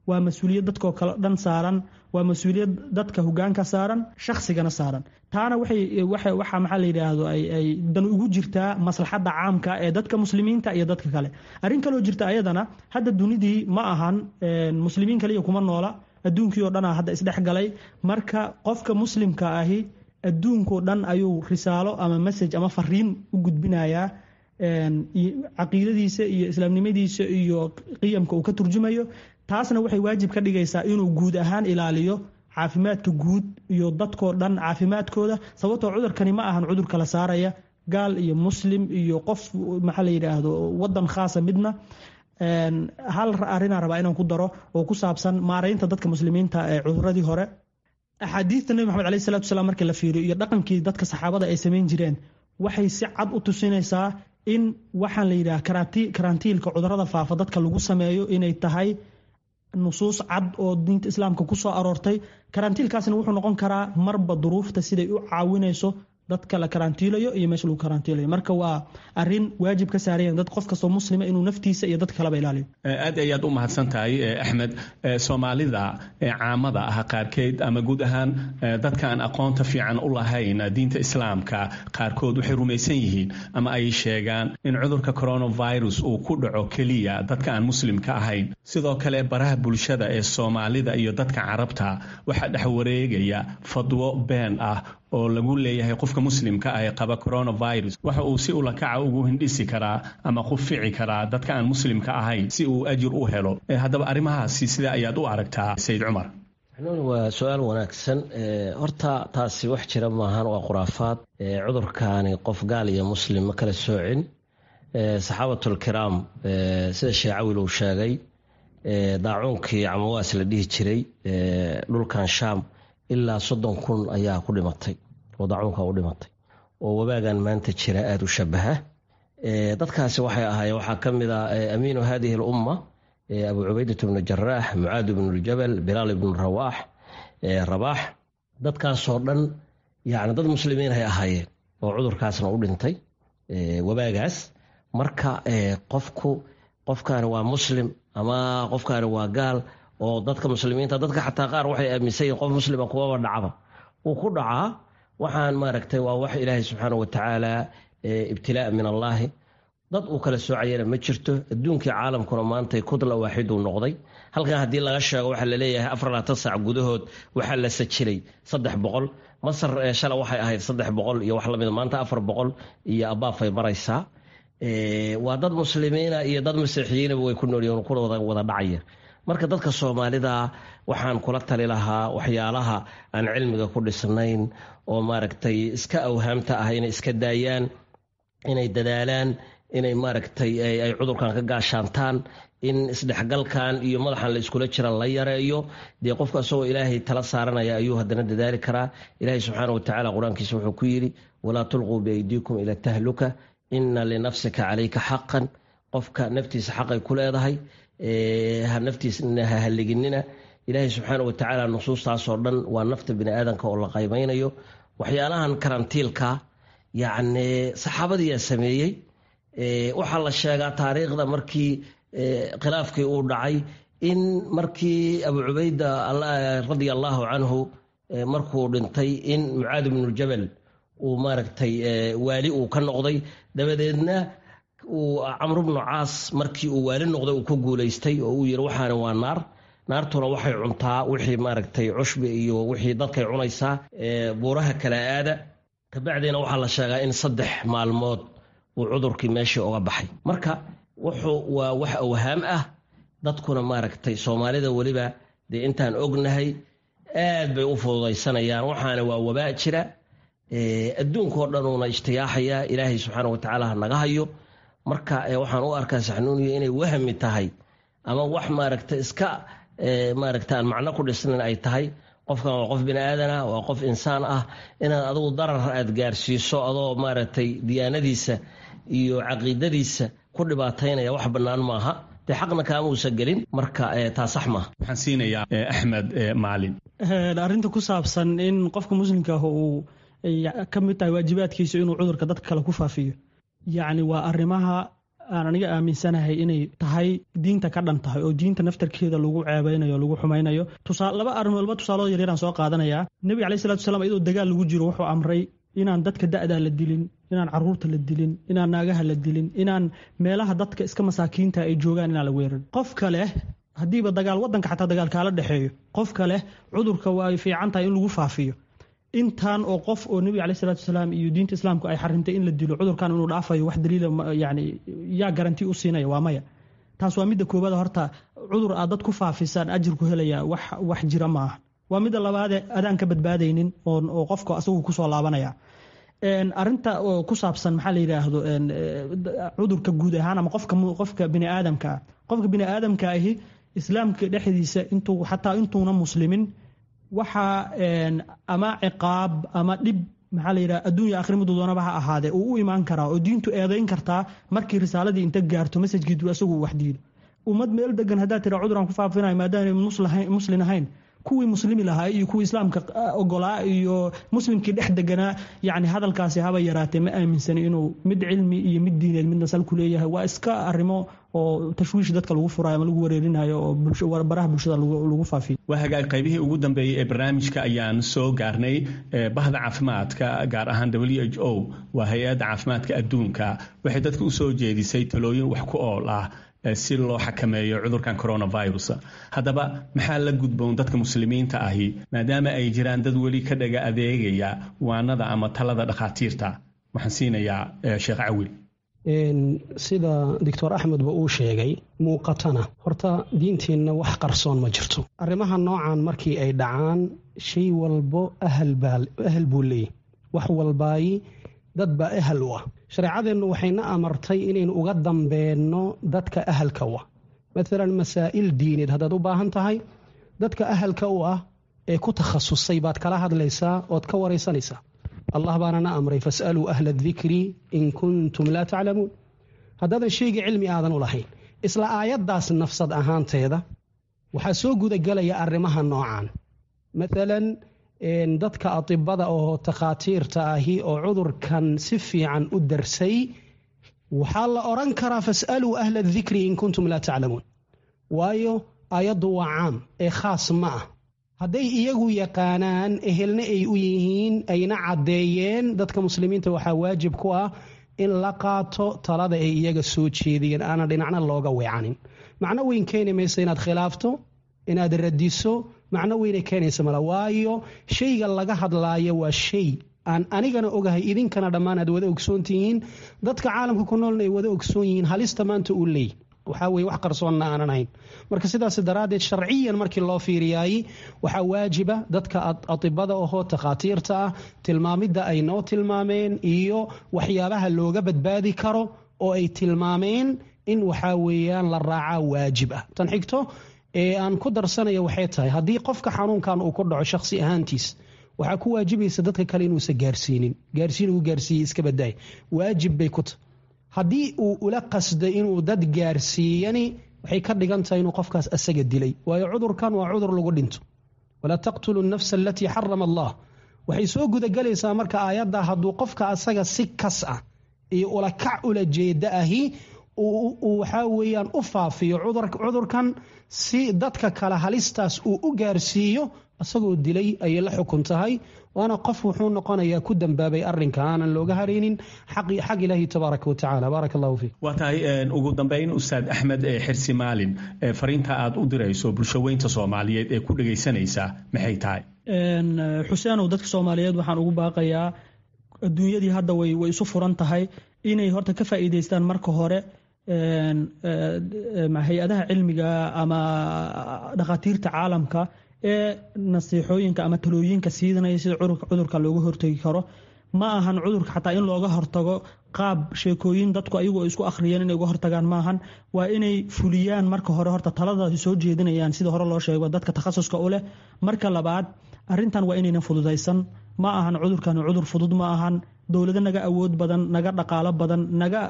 waa mas-uuliyad dadkoo kale dhan saaran, waa mas-uuliyad dadka hogaanka saaran, shaksigana saaran. Taana waxay waxa, maxaa la yidhaahdo, ay dan ugu jirtaa maslaxadda caamka ee dadka muslimiinta iyo dadka kale. Arrin kaloo jirta ayadana, hadda dunidii ma ahan muslimiin kaliya kuma noola, adduunkii oo dhanaa hadda isdhex galay. Marka qofka muslimka ahi adduunkao dhan ayuu risaalo ama message ama fariin u gudbinayaa, caqiidadiisa iyo islaamnimadiisa iyo qiyamka uu ka turjumayo. Taasna waxay waajib ka dhigaysaa inuu guud ahaan ilaaliyo caafimaadka guud iyo dadkoo dhan caafimaadkooda, sababtoo cudurkani ma ahan cudur kala saaraya gaal iyo muslim iyo qof, maxaa la yidhaahdo, wadan khaasa midna. Hal arrinaan rabaa inaan ku daro oo ku saabsan maaraynta dadka muslimiinta ee cuduradii hore. Axaadiista Nebi Maxamed caleyhi salatu wasalaam markii la fiiriyo iyo dhaqankii dadka saxaabada ay samayn jireen, waxay si cad u tusinaysaa in waxaan la yidhaha karantiilka cudurada faafa dadka lagu sameeyo inay tahay nusuus cad oo diinta islaamka ku soo aroortay. Karantiilkaasna wuxuu noqon karaa marba duruufta siday u caawinayso dadka la karantiilayo iyo meesha lagu karantiilayo. Marka waa arrin waajib ka saarayan dad qof kastoo muslima inuu naftiisa iyo dadka kaleba ilaaliyo. Aad ayaad u mahadsan tahay, Axmed. Soomaalida caamada ah qaarkeed ama guud ahaan dadka aan aqoonta fiican u lahayn diinta islaamka qaarkood waxay rumaysan yihiin ama ay sheegaan in cudurka coronavirus uu ku dhaco keliya dadka aan muslimka ahayn. Sidoo kale baraha bulshada ee Soomaalida iyo dadka Carabta waxaa dhex wareegaya fadwo been ah oo lagu leeyahay qofka muslimka ah ee qaba coronavirus waxa uu si ulakaca ugu hindhisi karaa ama qufici karaa dadka aan muslimka ahayn si uu ajir u helo. Haddaba arrimahaasi sida ayaad u aragtaa, Sayid Cumar? Waa su-aal wanaagsan. Horta taasi wax jira maahan, waa khuraafaad. Cudurkaani qof gaal iyo muslim ma kala soocin. Saxaabatul kiraam, sida Sheekh Cawil uu sheegay, daacuunkii Camawaas la dhihi jiray dhulkan Shaam ilaa 30,000 ayaa ku dhimatay oo daacuunka u dhimatay, oo wabaagan maanta jira aada u shabaha. Dadkaasi waxay ahaayeen, waxaa ka mid ah amiinu hadihi alumma Abu Cubaydat bnu Jaraax, Mucaad ibnu Ljabal, Bilaal ibnu Rabaax. Dadkaasoo dhan yani dad muslimiin ay ahaayeen oo cudurkaasna u dhintay, wabaagaas. Marka qofku, qofkaani waa muslim ama qofkaani waa gaal, oo dadka muslimiinta, dadka xataa qaar waxay aaminsan yihin qof muslima kuwaba dhacaba, wuu ku dhacaa. Waxaan maaragtay waa wax Ilaahay subxaana watacaala, ibtilaa min Allaahi. Dad uu kala soocayana ma jirto. Adduunkii caalamkuna maantay kudla waaxiduu noqday. Halkan haddii laga sheego, waxaa laleeyahay 24 saac gudahood waxaa la sajilay 300. Masar shala waxay ahayd 300 iyo wax lamida, maanta 400 iyo abaafay maraysaa. Waa dad muslimiina iyo dad masiixiyiinaba way ku noolyihin, kuna wada dhacaya. Marka dadka Soomaalida waxaan kula tali lahaa waxyaalaha aan cilmiga ku dhisnayn oo maaragtay iska awhaamta ah inay iska daayaan, inay dadaalaan, inay maaragtay ay cudurkan ka gaashaantaan, in isdhexgalkan iyo madaxan la iskula jira la yareeyo. Dee qofka isagoo Ilaahay tala saaranaya ayuu haddana dadaali karaa. Ilaahay subxaana watacaala qur-aankiisa wuxuu ku yidhi: "Walaa tulquu biaydiikum ila tahluka, ina linafsika calayka xaqan." Qofka naftiisa xaqay ku leedahay, ha naftiisna ha halliginina. Ilaahay subxaana watacaala nusuustaasoo dhan waa nafta bini aadanka oo la qaymaynayo. Waxyaalahan karantiilka, yacni, saxaabadiyaa sameeyey. Waxaa la sheegaa taariikhda markii khilaafkii uu dhacay in markii Abu Cubayda radia allahu canhu markuu dhintay in Mucaad ibnu Jabal uu maaragtay waali uu ka noqday. Dabadeedna uu Camru bnu Caas markii uu waali noqday uu ku guulaystay oo uu yiri: "Waxaana waa naar, naartuna waxay cuntaa wixii maaragtay cushbi iyo wixii dadkay cunaysaa, buuraha kala aada." Kabacdiina waxaa la sheegaa in 3 maalmood uu cudurkii meeshii uga baxay. Marka wuxuu waa wax awhaam ah. Dadkuna maaragtay Soomaalida weliba dee intaan ognahay aad bay u fududaysanayaan. Waxaana waa wabaa jira, adduunkao dhanuuna ijtiyaaxaya. Ilaahay subxaana watacaala ha naga hayo. Marka waxaan u arkaa, Saxnuuniya, inay wahmi tahay ama wax maaragtay iska maaragta aan macno ku dhisnayn ay tahay. Qofkan waa qof bini aadan ah, waa qof insaan ah. Inaad adigu darar aad gaarsiiso adoo maaragtay diyaanadiisa iyo caqiidadiisa ku dhibaataynaya wax bannaan maaha. Dee xaqna kaama uusan gelin. Marka taa sax maaha. Waxaan siinayaa Axmed Macalin. Arrinta ku saabsan in qofka muslimka ah uu ka mid tahay waajibaadkiisa inuu cudurka dadka kale ku faafiyo, yacni, waa arrimaha aan aniga aaminsanahay inay tahay diinta ka dhan tahay oo diinta naftarkeeda lagu ceebeynayo, lagu xumaynayo. Laba arrimood, laba tusaalood yaryaraan soo qaadanayaa. Nebiga caleyhi salatu wasalaam, iyadoo dagaal lagu jiro, wuxuu amray inaan dadka da'daa la dilin, inaan caruurta la dilin, inaan naagaha la dilin, inaan meelaha dadka iska masaakiinta ay joogaan inaan la weerarin. Qofka leh haddiiba dagaal wadanka xataa dagaal kaala dhexeeyo, qofka leh cudurka waa ay fiican tahay in lagu faafiyo intaan oo qof oo Nebiga caleyhi salatu wasalaam iyo diinta Islaamku ay xarimtay in la dilo, cudurkan inuu dhaafayo wax daliila, yani, yaa garanti u siinaya? Waa maya. Taas waa midda koowaad. Horta cudur aad dad ku faafisaan ajir ku helaya wax jira maaha. Waa midda labaade, adaan ka badbaadaynin oo qofka asagu kusoo laabanaya. Arinta oo ku saabsan, maxaa la yidhaahdo, cudurka guud ahaan ama qofka bini aadamka ah, qofka bini aadamka ahi Islaamka dhexdiisa intuu xataa intuuna muslimin waxaa ama ciqaab ama dhib, maxaa la yidhaha, adduunya akhri muddu doonaba ha ahaadee, uu u imaan karaa oo diintu eedayn kartaa markii risaaladii inta gaarto message-kii asagu wax diido. Ummad meel degan haddaad tira cuduraan ku faafinayo maadaama muslin ahayn, kuwii muslimi lahaa iyo kuwii Islaamka ogolaa iyo muslimkii dhex deganaa, yacni, hadalkaasi haba yaraatee ma aaminsani inuu mid cilmi iyo mid diineed midna sal ku leeyahay. Waa iska arrimo oo tashwiish dadka lagu furayo ama lagu wareerinayo oo baraha bulshada lagu faafiyo. Waa hagaag. Qaybihii ugu dambeeyey ee barnaamijka ayaan soo gaarnay. Bahda caafimaadka, gaar ahaan WHO, waa hay-adda caafimaadka adduunka, waxay dadka usoo jeedisay talooyin wax ku ool ah si loo xakameeyo cudurkan coronavirus. Haddaba maxaa la gudboon dadka muslimiinta ahi, maadaama ay jiraan dad weli ka dhaga adeegaya waanada ama talada dhakhaatiirta? Waxaan siinayaa Sheekh Cawil. Sida Doctor Axmedba uu sheegay, muuqatana horta diinteenna wax qarsoon ma jirto. Arrimaha noocan markii ay dhacaan, shay walbo ahal buu leeyahy, wax walbaayi dad baa ahal u ah. Shareecadeennu waxayna amartay inaynu uga dambeenno dadka ahalka u ah. Maalan masaa'il diineed haddaad u baahan tahay, dadka ahalka u ah ee ku takhasusay baad kala hadlaysaa ood ka waraysanaysaa. Allah baana na amray: "Fas'aluu ahla adikri in kuntum laa taclamuun." Haddaadan shayga cilmi aadan u lahayn, isla aayaddaas nafsad ahaanteeda waxaa soo gudagelaya arrimaha noocan. Maalan dadka atibada oo takhaatiirta ahi oo cudurkan si fiican u darsay, waxaa la odhan karaa: "Fas'aluu ahla adikri in kuntum laa taclamuun." Waayo, aayaddu waa caam ee khaas ma ah. Hadday iyagu yaqaanaan, ehelna ay u yihiin, ayna caddeeyeen, dadka muslimiinta waxaa waajib ku ah in la qaato talada ay iyaga soo jeediyeen, aanan dhinacna looga weecanin. Macno weyn keeni maysa inaad khilaafto, inaad radiso, macno weynay keenaysa mala. Waayo, shayga laga hadlaayo waa shay aan anigana ogahay, idinkana dhammaan aad wada ogsoon tihiin, dadka caalamka ku noolna ay wada ogsoon yihiin halista maanta uu leeyahy. Waxaa weye wax qarsoonna aanan ahayn. Marka sidaas daraaddeed sharciyan markii loo fiiriyaayey, waxaa waajiba dadka atibada ahoo takhaatiirta ah tilmaamidda ay noo tilmaameen iyo waxyaabaha looga badbaadi karo oo ay tilmaameen in waxaa weeyaan la raacaa waajib ah. Tan xigto ee aan ku darsanaya waxay tahay, haddii qofka xanuunkan uu ku dhaco shakhsi ahaantiis, waxaa ku waajibaysa dadka kale inuusan gaarsiinin. Gaarsiin uu gaarsiiyey iska badaay, waajib bay ku tahay. Haddii uu ula qasday inuu dad gaarsiiyani, waxay ka dhigan tahay inuu qofkaas asaga dilay, waayo cudurkan waa cudur lagu dhinto. Walaa taqtulu nafsa alatii xarama Allah waxay soo gudagelaysaa. Marka aayadda hadduu qofka asaga si kas ah iyo ula kac ula jeeda ahi uu waxaa weeyaan u faafiyo cudurkan si dadka kale halistaas uu u gaarsiiyo, isagoo dilay ayay la xukun tahay, waana qof wuxuu noqonayaa ku dambaabay arrinka aanan looga haraynin xag Ilaahi tabaaraka watacaala. Baaraka Allahu fiik. Waa tahay. Ugu dambeyn, Ustaad Axmed Xirsi Maalin, fariinta aad u dirayso bulsho weynta Soomaaliyeed ee ku dhegaysanaysa maxay tahay? Xuseenow, dadka Soomaaliyeed waxaan ugu baaqayaa, adduunyadii hadda way isu furan tahay, inay horta ka faa'iidaystaan marka hore hay-adaha cilmiga ama dhakhaatiirta caalamka ee nasiixooyinka ama talooyinka siidanaya sida cudurka looga hortegi karo. Ma ahan cudurka xataa in looga hortago qaab sheekooyin dadku ayagu ay isku akhriyeen inay uga hortagaan maahan. Waa inay fuliyaan marka hore horta talada soo jeedinayaan, sida hore loo sheego, dadka takhasuska u leh. Marka labaad, arrintan waa inaynan fududaysan. Ma ahan cudurkan cudur fudud, ma ahan. Dowlado naga awood badan, naga dhaqaalo badan, naga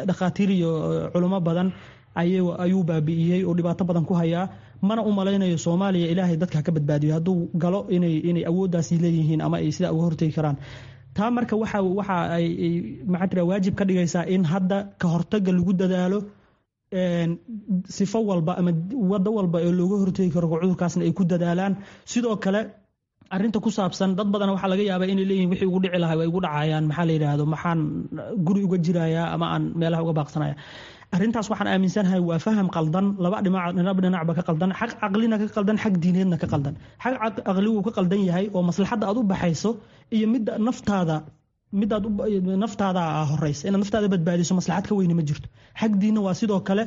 dhakhaatiir iyo culimo badan ayuu baabi'iyey oo dhibaato badan ku hayaa. Mana u malaynayo Soomaaliya, Ilaahay dadka ka badbaadiyo, hadduu galo inay awooddaasi leeyihiin ama ay sidaa uga hortegi karaan taa. Marka waxa ay, maxaa tira, waajib ka dhigaysaa in hadda ka hortagga lagu dadaalo sifo walba ama waddo walba ee looga hortegi karo cudurkaasna ay ku dadaalaan. Sidoo kale, arrinta ku saabsan dad badan waxaa laga yaabaa inay leeyihin wixii ugu dhici lahaa way igu dhacayaan, maxaa la yidhaahdo, maxaan guri uga jirayaa ama aan meelaha uga baaqsanaya? Arrintaas waxaan aaminsanahay waa faham qaldan, laba dhinac dhinacba ka qaldan, xag caqlina ka qaldan, xag diineedna ka qaldan. Xag caqli wuu ka qaldan yahay oo maslaxadda aad u baxayso iyo midda naftaada, midaad naftaada horeysa, inaad naftaada badbaadiso maslaxad ka weyni ma jirto. Xag diinna waa sidoo kale.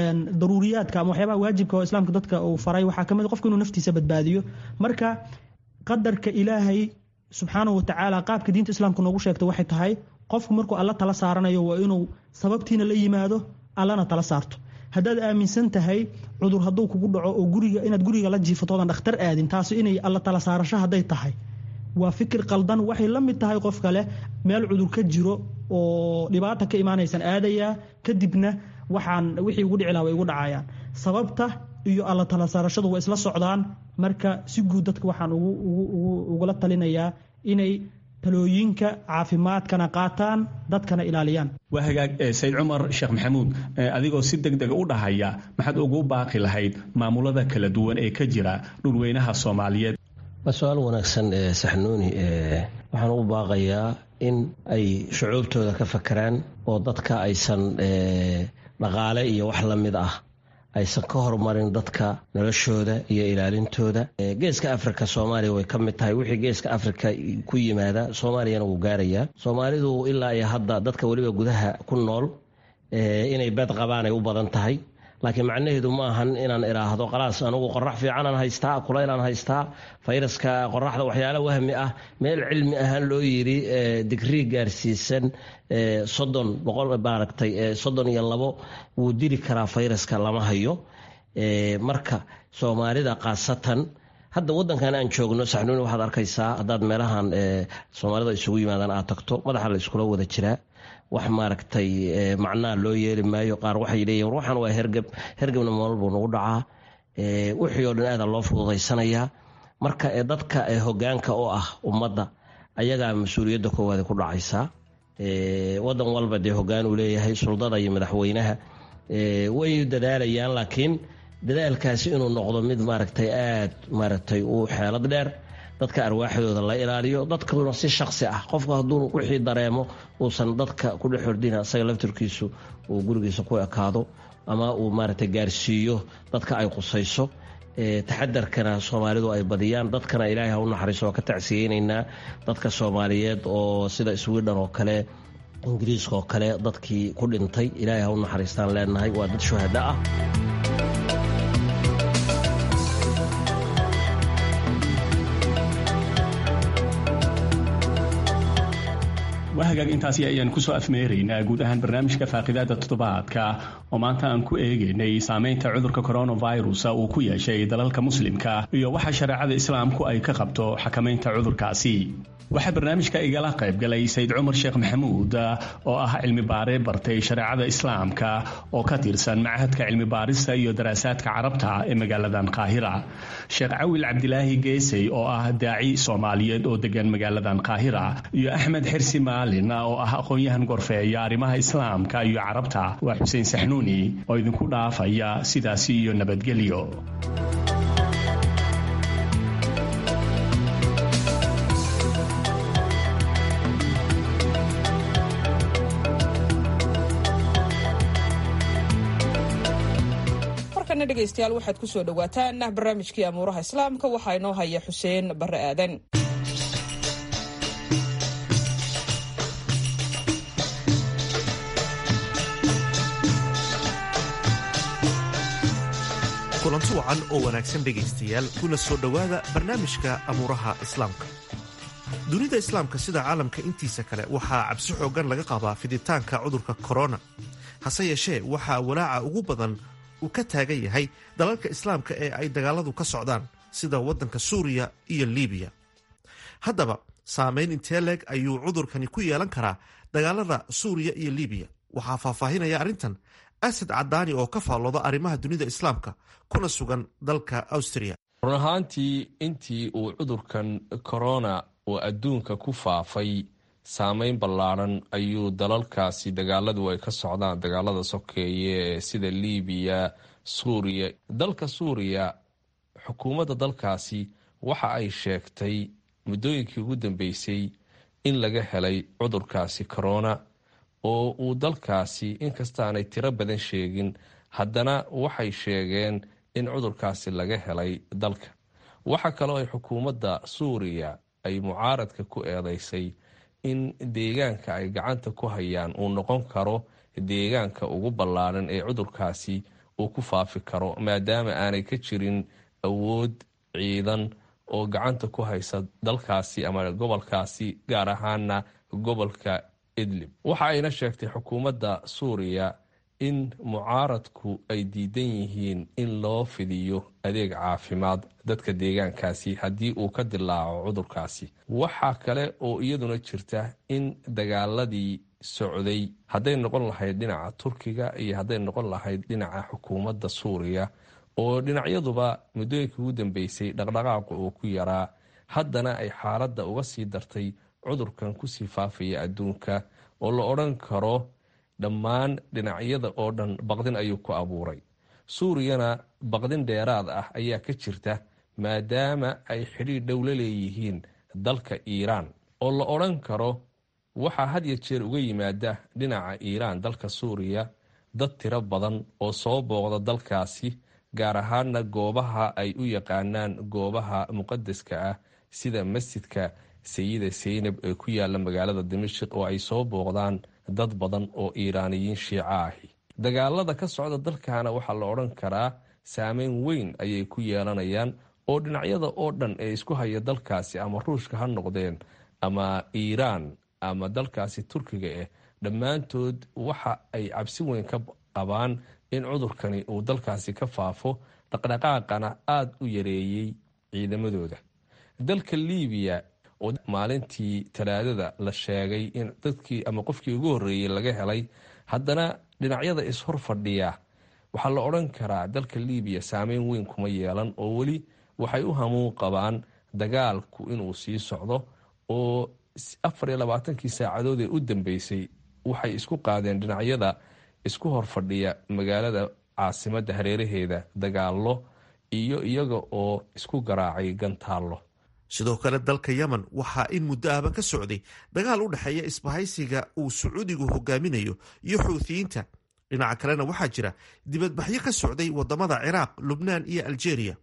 Daruuriyaadka ama waxyaabaha waajibka oo Islaamka dadka uu faray waxaa kamid qofku inuu naftiisa badbaadiyo. Marka qadarka Ilaahay subxaanahu watacaala, qaabka diinta Islaamka noogu sheegtay waxay tahay, qofku markuu Alla tala saaranayo waa inuu sababtiina la yimaado, Allana tala saarto. Haddaad aaminsan tahay cudur hadduu kugu dhaco oo guriga inaad guriga la jiifatoodan dhakhtar aadin, taasi inay Alla tala saarasho hadday tahay, waa fikir qaldan. Waxay la mid tahay qof kale meel cudur ka jiro oo dhibaata ka imaanaysan aadayaa, kadibna waxaan wixii ugu dhici lahaa way igu dhacayaan. Sababta iyo Alla tala saarashadu waa isla socdaan. Marka si guud dadka waxaan ugula talinayaa inay talooyinka caafimaadkana qaataan, dadkana ilaaliyaan. Waa hagaag. Sayid Cumar Sheekh Maxamuud, adigoo si deg dega u dhahaya, maxaad ugu baaqi lahayd maamulada kala duwan ee ka jira dhulweynaha Soomaaliyeed? Waa su-aal wanaagsan, Saxnuuni. Waxaan ugu baaqayaa in ay shucuubtooda ka fakeraan oo dadka aysan dhaqaale iyo wax la mid ah aysan ka horumarin dadka noloshooda iyo ilaalintooda. Geeska Africa Soomaaliya way ka mid tahay. Wixii Geeska Africa ku yimaada Soomaaliyana wuu gaarayaa. Soomaalidu ilaa iyo hadda dadka weliba gudaha ku nool inay bed qabaan ay u badan tahay, laakiin macnaheedu ma ahan inaan iraahdo khalaas, anugu qorax fiicanaan haystaa, kulaylaan haystaa, fayraska qoraxda. Waxyaala wahmi ah, meel cilmi ahaan loo yiri digrii gaarsiisan 30 boqol, maaragtay, 32 wuu dili karaa fayraska, lama hayo. Marka Soomaalida khaasatan hadda wadankan aan joogno, Saxnuuni, waxaad arkaysaa haddaad meelahan Soomaalida isugu yimaadaan aad tagto, madaxa la iskula wada jiraa. Wax, maaragtay, macnaa loo yeeli maayo. Qaar waxay leeyihin war waxaan waa hergeb, hergebna moolal buu nagu dhacaa. Wixii oo dhan aada loo fududaysanayaa. Marka dadka hogaanka oo ah ummadda ayagaa mas-uuliyadda koowaad ku dhacaysaa. Wadan walba dee hogaan uu leeyahay, suldada iyo madaxweynaha way dadaalayaan, laakiin dadaalkaasi inuu noqdo mid, maaragtay, aad, maaragtay, u xeelad dheer, dadka arwaaxdooda la ilaaliyo, dadkuna si shaksi ah qofku hadduu wixii dareemo uusan dadka ku dhex ordina, isaga laftirkiisu uu gurigiisa ku ekaado ama uu, maaragtay, gaarsiiyo dadka ay qusayso. Taxadarkana Soomaalidu ay badiyaan. Dadkana Ilaahay ha u naxariiso, waa ka tacsiyeynaynaa dadka Soomaaliyeed oo sida Sweden oo kale. Ingiriiska oo kale dadkii ku dhintay ilaahay ha u naxariistaan leenahay, waa dad shuhada ah. Waa hagaag, intaasi ayaan kusoo afmeeraynaa guud ahaan barnaamijka faaqidaada toddobaadka oo maanta aan ku eegaynay saameynta cudurka coronavirus uu ku yeeshay dalalka muslimka iyo waxa shareecada islaamku ay ka qabto xakamaynta cudurkaasi. Waxaa barnaamijka igala qaybgalay Sayid Cumar Sheekh Maxamuud oo ah cilmi baare bartay shareecada islaamka oo ka tirsan Machadka Cilmi Baarista iyo Daraasaadka Carabta ee magaaladan Qaahira, Sheekh Cawil Cabdilaahi Geesey oo ah daaci Soomaaliyeed oo degan magaaladan Qaahira, iyo Axmed Xirsi Maalin oo ah aqoon-yahan gorfeeya arrimaha islaamka iyo Carabta. Waa Xuseen Saxnuuni oo idinku dhaafaya sidaasi iyo nabadgelyo. Dhegeystayaal, waxaad ku soo dhowaataan barnaamijkii amuuraha islaamka. Waxaa inoo haya Xuseen Barre Aadan. Kulanti wacan oo wanaagsan dhegaystayaal, kuna soo dhowaada barnaamijka amuuraha islaamka. Dunida islaamka sida caalamka intiisa kale waxaa cabsi xooggan laga qabaa fiditaanka cudurka korona. Hase yeeshee, waxaa walaaca ugu badan uu ka taagan yahay dalalka islaamka ee ay dagaaladu ka socdaan, sida waddanka Suuriya iyo Liibiya. Haddaba, saameyn intee leeg ayuu cudurkani ku yeelan karaa dagaalada Suuriya iyo Liibiya? Waxaa faahfaahinaya arrintan Asad Cadaani oo ka faallooda arrimaha dunida islaamka kuna sugan dalka Austria. Run ahaantii, intii uu cudurkan korona oo adduunka ku faafay, saameyn ballaaran ayuu dalalkaasi dagaaladu ay ka socdaan, dagaalada sokeeye sida Liibiya, Suuriya. Dalka Suuriya, xukuumadda dalkaasi waxa ay sheegtay muddooyinkii ugu dambeysay in laga helay cudurkaasi corona oo uu dalkaasi, inkastaanay tiro badan sheegin, haddana waxay sheegeen in cudurkaasi laga helay dalka. Waxa kaloo ay xukuumadda Suuriya ay mucaaradka ku eedeysay in deegaanka ay gacanta ku hayaan uu noqon karo deegaanka ugu ballaaran ee cudurkaasi uu ku faafi karo, maadaama aanay ka jirin awood ciidan oo gacanta ku haysa dalkaasi ama gobolkaasi, gaar ahaana gobolka Idlib. Waxa ayna sheegtay xukuumadda Suuriya in mucaaradku ay diidan yihiin in loo fidiyo adeeg caafimaad dadka deegaankaasi haddii uu ka dilaaco cudurkaasi. Waxaa kale oo iyaduna jirta in dagaaladii socday, hadday noqon lahayd dhinaca Turkiga iyo hadday noqon lahayd dhinaca xukuumadda Suuriya, oo dhinacyaduba muddooyinkii ugu dambeysay dhaqdhaqaaqu uu ku yaraa, haddana ay xaaladda uga sii dartay cudurkan kusii faafaya adduunka, oo la odhan karo dhammaan dhinacyada oo dhan baqdin ayuu ku abuuray. Suuriyana baqdin dheeraad ah ayaa ka jirta, maadaama ay xidhiidh dhow la leeyihiin dalka Iiraan, oo la odhan karo waxaa had ya jeer uga yimaada dhinaca Iiraan dalka Suuriya dad tiro badan oo soo booqda dalkaasi, gaar ahaana goobaha ay u yaqaanaan goobaha muqadaska ah, sida masjidka Sayida Saynab ee ku yaala magaalada Dimashik, oo ay soo booqdaan dad badan oo Iiraaniyiin Shiico ahi. Dagaalada ka socda dalkana waxaa la odhan karaa saameyn weyn ayay ku yeelanayaan, oo dhinacyada oo dhan ee isku haya dalkaasi, ama Ruushka ha noqdeen ama Iiraan ama dalkaasi Turkiga ah, dhammaantood waxa ay cabsi weyn ka qabaan in cudurkani uu dalkaasi ka faafo, dhaqdhaqaaqana aada u yareeyey ciidamadooda. Dalka Liibiya oo maalintii Talaadada la sheegay in dadkii ama qofkii ugu horreeyey laga helay, haddana dhinacyada ishor fadhiya waxaa la odhan karaa dalka Liibiya saameyn weyn kuma yeelan, oo weli waxay u hamuun qabaan dagaalku inuu sii socdo, oo 24kii saacadood ee u dambeysay waxay isku qaadeen dhinacyada isku hor fadhiya magaalada caasimadda hareeraheeda dagaallo iyo iyaga oo isku garaacay gantaallo. Sidoo kale, dalka Yemen waxaa in muddo ahba ka socday dagaal u dhexeeya isbahaysiga uu Sacuudigu hogaaminayo iyo Xuuthiyiinta. Dhinaca kalena, waxaa jira dibadbaxyo ka socday wadamada Ciraaq, Lubnaan iyo Aljeeriya,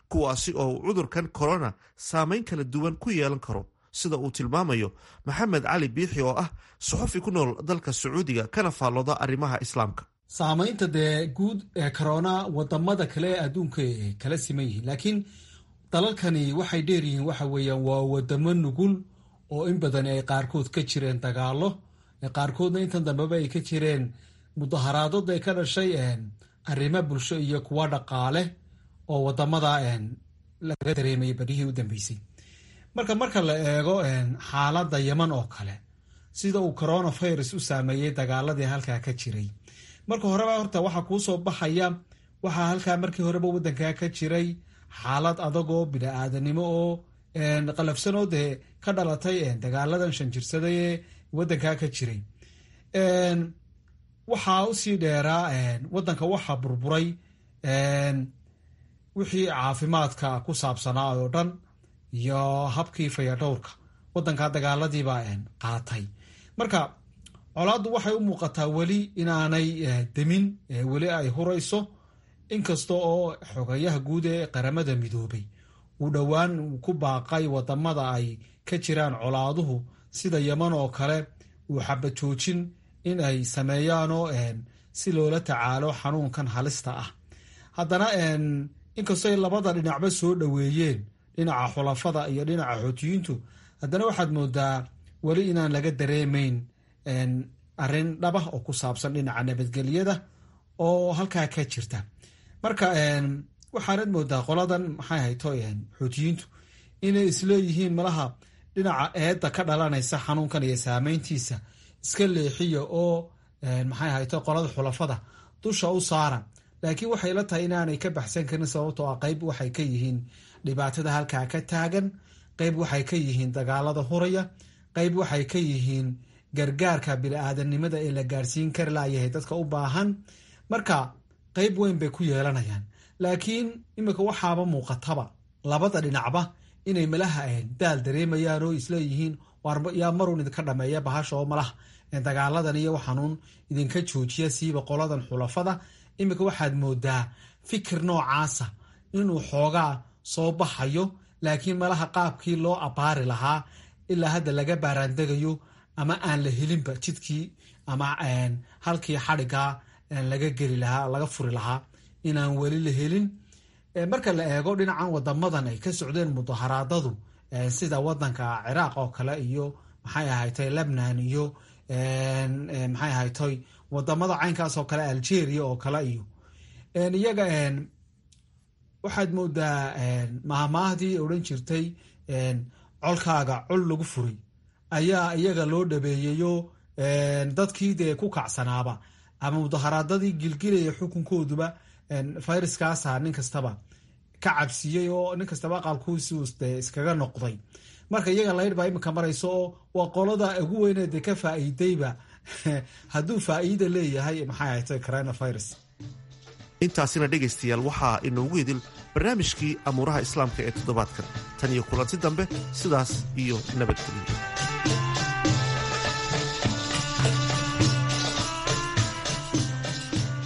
kuwaasi oo uu cudurkan corona saameyn kala duwan ku yeelan karo. sida uu tilmaamayo Maxamed Cali Biixi oo ah suxufi ku nool dalka Sacuudiga kana faallooda arrimaha Islaamka. Saamaynta dee guud ee corona wadamada kale ee adduunka kala siman yihiin, laakiin dalalkani waxay dheer yihiin waxa weeyaan waa wadamo nugul oo in badan ay qaarkood ka jireen dagaalo, qaarkoodna intan dambeba ay ka jireen mudaharaadod ay ka dhashay arrimo bulsho iyo kuwa dhaqaale oo wadamada laga dareemayay badhihii u dambeysay. Marka la eego xaaladda Yeman oo kale, sida uu coronavirus u saameeyey dagaaladii halkaa ka jiray, marka horeba horta waxaa kuu soo baxaya waxaa halkaa markii horeba wadankaa ka jiray xaalad adagoo bini-aadanimo oo qalafsanoo dee ka dhalatay dagaaladan shan jirsaday ee wadankaa ka jiray. Waxaa usii dheeraa wadanka waxaa burburay wixii caafimaadka ku saabsanaa oo dhan iyo habkii fayadhowrka wadankaa dagaaladiibaa qaatay. Marka colaaddu waxay u muuqataa weli inaanay demin, weli ay hurayso, inkasta oo xogayaha guud ee Qaramada Midoobay uu dhowaan ku baaqay wadamada ay ka jiraan colaaduhu sida Yeman oo kale uu xabad joojin in ay sameeyaanoo si loola tacaalo xanuunkan halista ah. Haddana inkastoo ay labada dhinacba soo dhoweeyeen, dhinaca xulafada iyo dhinaca Xuutiyiintu, haddana waxaad moodaa weli inaan laga dareemayn arrin dhabah oo ku saabsan dhinaca nabadgelyada oo halkaa ka jirta. Marka waxaanad moodaa qoladan maxay hayto Xuutiyiintu inay isleeyihiin malaha dhinaca eedda ka dhalanaysa xanuunkan iyo saameyntiisa iska leexiya oo maxay hayto qolada xulafada dusha u saara, laakiin waxay la tahay inaanay ka baxsan karin, sababtoo ah qayb waxay ka yihiin dhibaatada halkaa ka taagan, qayb waxay ka yihiin dagaalada huraya, qayb waxay ka yihiin gargaarka bini-aadanimada ee la gaarsiin kari laayahay dadka u baahan. Marka qayb weyn bay ku yeelanayaan, laakiin iminka waxaaba muuqataba labada dhinacba inay malaha daal dareemayaan oo isleeyihiin yaa maruun idinka dhameeya bahasha oo malaha dagaaladan iyo waxanuun idinka joojiya, siiba qoladan xulafada. Iminka waxaad moodaa fikir noocaasa inuu xoogaa soo baxayo, laakiin malaha qaabkii loo abaari lahaa ilaa hadda laga baaraandegayo ama aan la helinba jidkii ama halkii xadhigaa laga geli lahaa laga furi lahaa inaan weli la helin. Marka la eego dhinacan wadamadan ay ka socdeen mudaharaadadu sida wadanka Ciraaq oo kale iyo maxay ahatay Lebnan iyo maxay ahatay wadamada caynkaas oo kale, Algeria oo kale iyo iyaga, waxaad moodaa mahmaahdii odhan jirtay colkaaga col lagu furay ayaa iyaga loo dhabeeyeyo. Dadkii dee ku kacsanaaba ama mudaharaadadii gilgilaya xukunkooduba fayraskaasa nin kastaba ka cabsiiyey oo nin kastaba aqalkuusi dee iskaga noqday. Marka iyaga laydh baa iminka marayso oo waa qolada ugu weynee dee ka faa'iidayba hadduu faa'iida leeyahay maxay ahatay coronavirus. Intaasina dhegaystayaal waxaa inoogu idil barnaamijkii amuuraha Islaamka ee toddobaadkan. Tan iyo kulanti dambe, sidaas iyo nabadgelyo.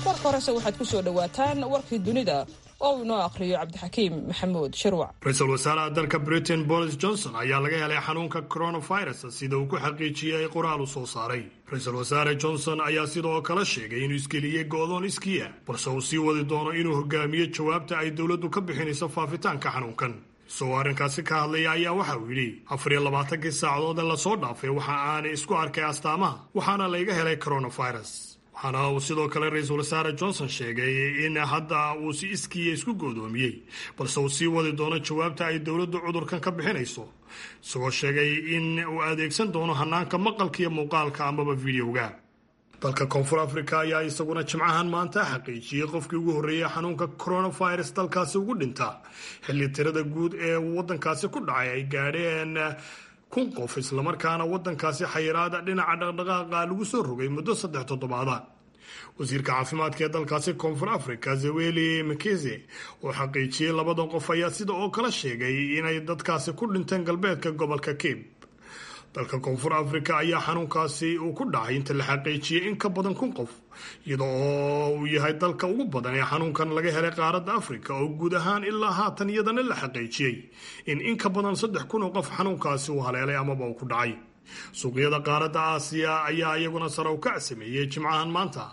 Marka horese waxaad ku soo dhowaataan warkii dunida oo inoo akhriyo Cabdixakiim Maxamuud Shirwac. Ra-iisul wasaaraha dalka Britain Boris Johnson ayaa laga helay xanuunka coronavirus, sida uu ku xaqiijiyey qoraal uu soo saaray. Ra-iisul wasaare Johnson ayaa sidoo kale sheegay inuu isgeliyey go'doon iskiya, balse uu sii wadi doono inuu hogaamiyo jawaabta ay dowladdu ka bixinayso faafitaanka xanuunkan. Isagoo arrinkaasi ka hadlaya ayaa waxa uu yidhi: 24kii saacadood ee lasoo dhaafay waxa aanay isku arkay astaamaha, waxaana layga helay coronavirus. Waxaana uu sidoo kale ra-iisul wasaare Johnson sheegay in hadda uu si iskiiya isku goodoomiyey, balse uu sii wadi doono jawaabta ay dowladdu cudurkan ka bixinayso, isagoo sheegay in uu adeegsan doono hanaanka maqalka iyo muuqaalka amaba videoga. Dalka Koonfur Afrika ayaa isaguna jimcahan maanta xaqiijiyey qofkii ugu horreeyey xanuunka coronavirus dalkaasi ugu dhinta, xilli tirada guud ee waddankaasi ku dhacay ay gaadheen 1000 qof, islamarkaana waddankaasi xayiraada dhinaca dhaqdhaqaaqa lagu soo rogay muddo 3 toddobaada. Wasiirka caafimaadka ee dalkaasi Koonfur Africa Zaweli Mkize oo xaqiijiyey labadan qof ayaa sida oo kale sheegay inay dadkaasi ku dhinteen galbeedka gobolka Cape. Dalka Koonfur Afrika ayaa xanuunkaasi uu ku dhacay inta la xaqiijiyey in ka badan 1000 qof, iyadoo oo uu yahay dalka ugu badan ee xanuunkan laga helay qaaradda Afrika, oo guud ahaan ilaa haatan iyadana la xaqiijiyey in ka badan 3000 oo qof xanuunkaasi uu haleelay amaba uu ku dhacay. Suuqyada qaaradda Aasiya ayaa iyaguna sare u kac sameeyey jimcahan maanta,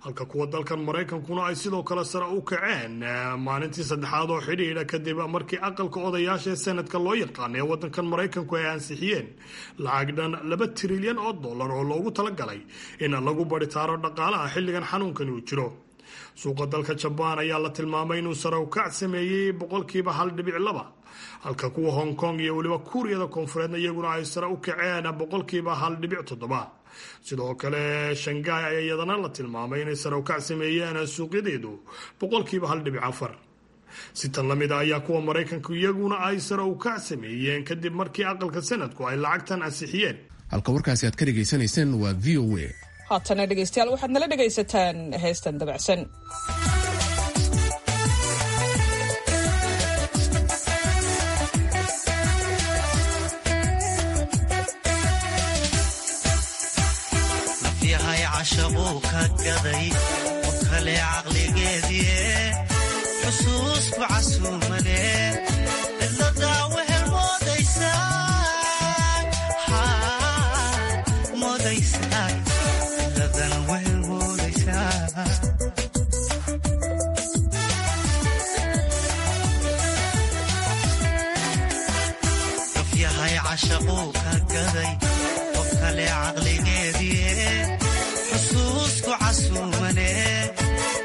halka kuwa dalkan Maraykankuna ay sidoo kale sare u kaceen maalintii saddexaad oo xidhiidha, kadib markii aqalka odayaasha ee sanadka loo yaqaan ee waddankan Maraykanku ay ansixiyeen lacag dhan $2 trilyan oo loogu talagalay in lagu baritaaro dhaqaalaha xilligan xanuunkani uu jiro. Suuqa dalka Jabaan ayaa la tilmaamay inuu sare u kac sameeyey 1.2%, halka kuwa Hong Kong iyo weliba Kuuriyada Koonfureedna iyaguna ay sare u kaceen 1.7%. Sidoo kale Shanghai ayaa iyadana la tilmaamay inay sare u kac sameeyeen suuqyadeedu 1.4%. Si tan la mid a ayaa kuwa Maraykanku iyaguna ay sare u kac sameeyeen kadib markii aqalka sanadku ay lacagtan ansixiyeen. Halka warkaasi aad ka dhegaysanayseen waa VOA. Haatana dhegaystayaal, waxaad nala dhegaysataan heestan dabacsan. Nafyahay cashaquu ka gaday qof kale caqligeedie, xusuusku casuumane cidladaa wehel moodaysaa, moodaysaa cidladan wehel moodaysaa. Nafyahay cashaquu ka gaday qof kale caqligeedie, xusuusku casuumane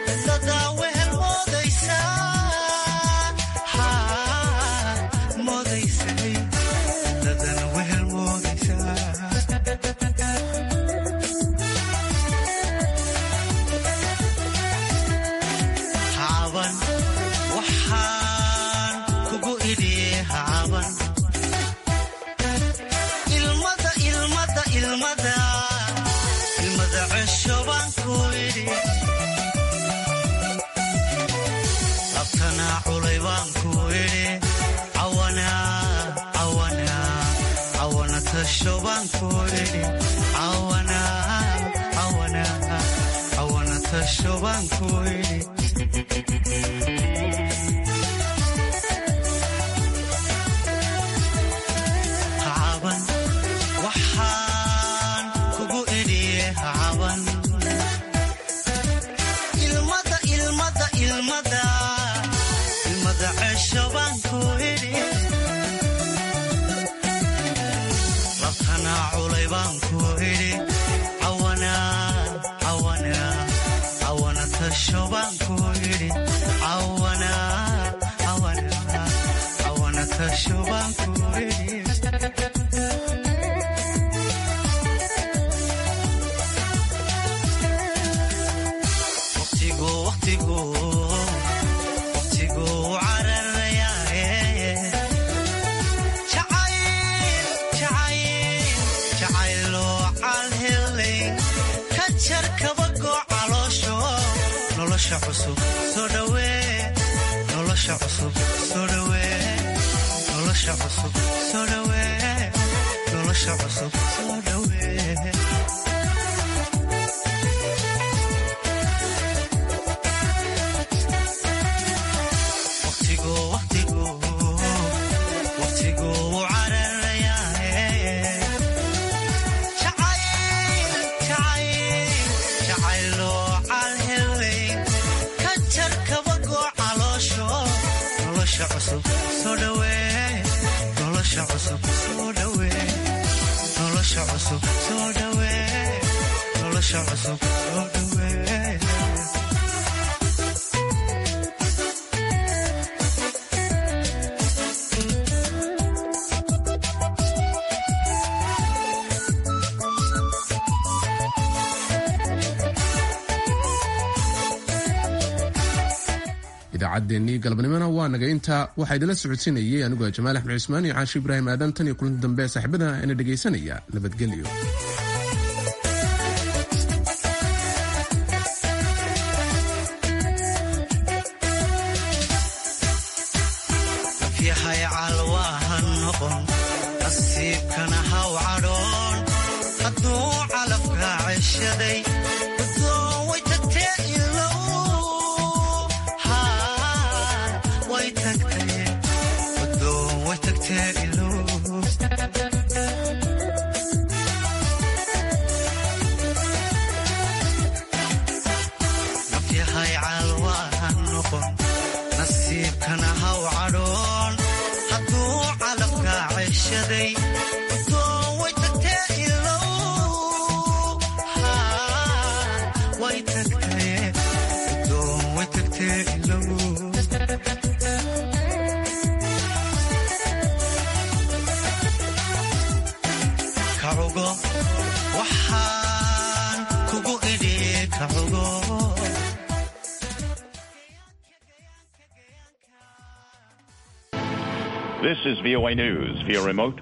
cidladaa wehel moodaysaa, moodaysay cidladan wehel moodaysaa. Hacaban waxaan kugu idhi, hacaban ilmada ilmada ilmada ilmada cesho baan ku idhi, labtana culay baan ku idhi, cawana cawana cawana tasho baan ku idhi, cawana cawana cawana tasho baan ku idhi. Hacaban waxaan kugu idhi, hacaban ilmada ilmada ilmada ilmada cesho baan ku idhi, labtana culay baan ku idhi, cawana cawana cawana tasho baan ku idhi, cawana cawana cawana tasho baan ku idhi. Waqtigu waqtigu waqtigu cararayaaye, jacayl jacayl jacayloo calhelay ka jar kabagoo caloosho, nolosha cusub soo dhawee, nolosha cusub soo dhawee, nolosha cusub soo dhawee, nolosha cusub soo dhawee. Waqtigu waqtigu waqtigu cararayaaye, jacayl jacayl jacayloo calhelay ka jar kabagoo caloosho, nolosha cusub soo dhawee, nolosha cusub soo dhawee, nolosha cusub soo dhawee, nolosha cusub soo dhawee. Idaacaddeenii galabnimona waa naga intaa. Waxaa idinla socodsiinayay anigoo Jamaal Axmed Cusmaan iyo Caashi Ibraahim Aadan. Tan iyo kulanti dambe, saaxiibada ina dhegaysanaya, nabadgelyo. Nafyahay calwaaha noqon. Nasiibkana haw cadhoon hadduu calafka ceshaday. Guddoon way tagtee ilow, way tagtee, guddoon way tagtee ilow. Nafyahay calwaan noqon, nasiibkana haw cadhoon hadduu calafka ceshaday. Guddoon way tagtee ilow, way tagtee, guddoon way tagtee ilow. Kacugo waxaan kugu idhi kacugo. This is VOA News via remote.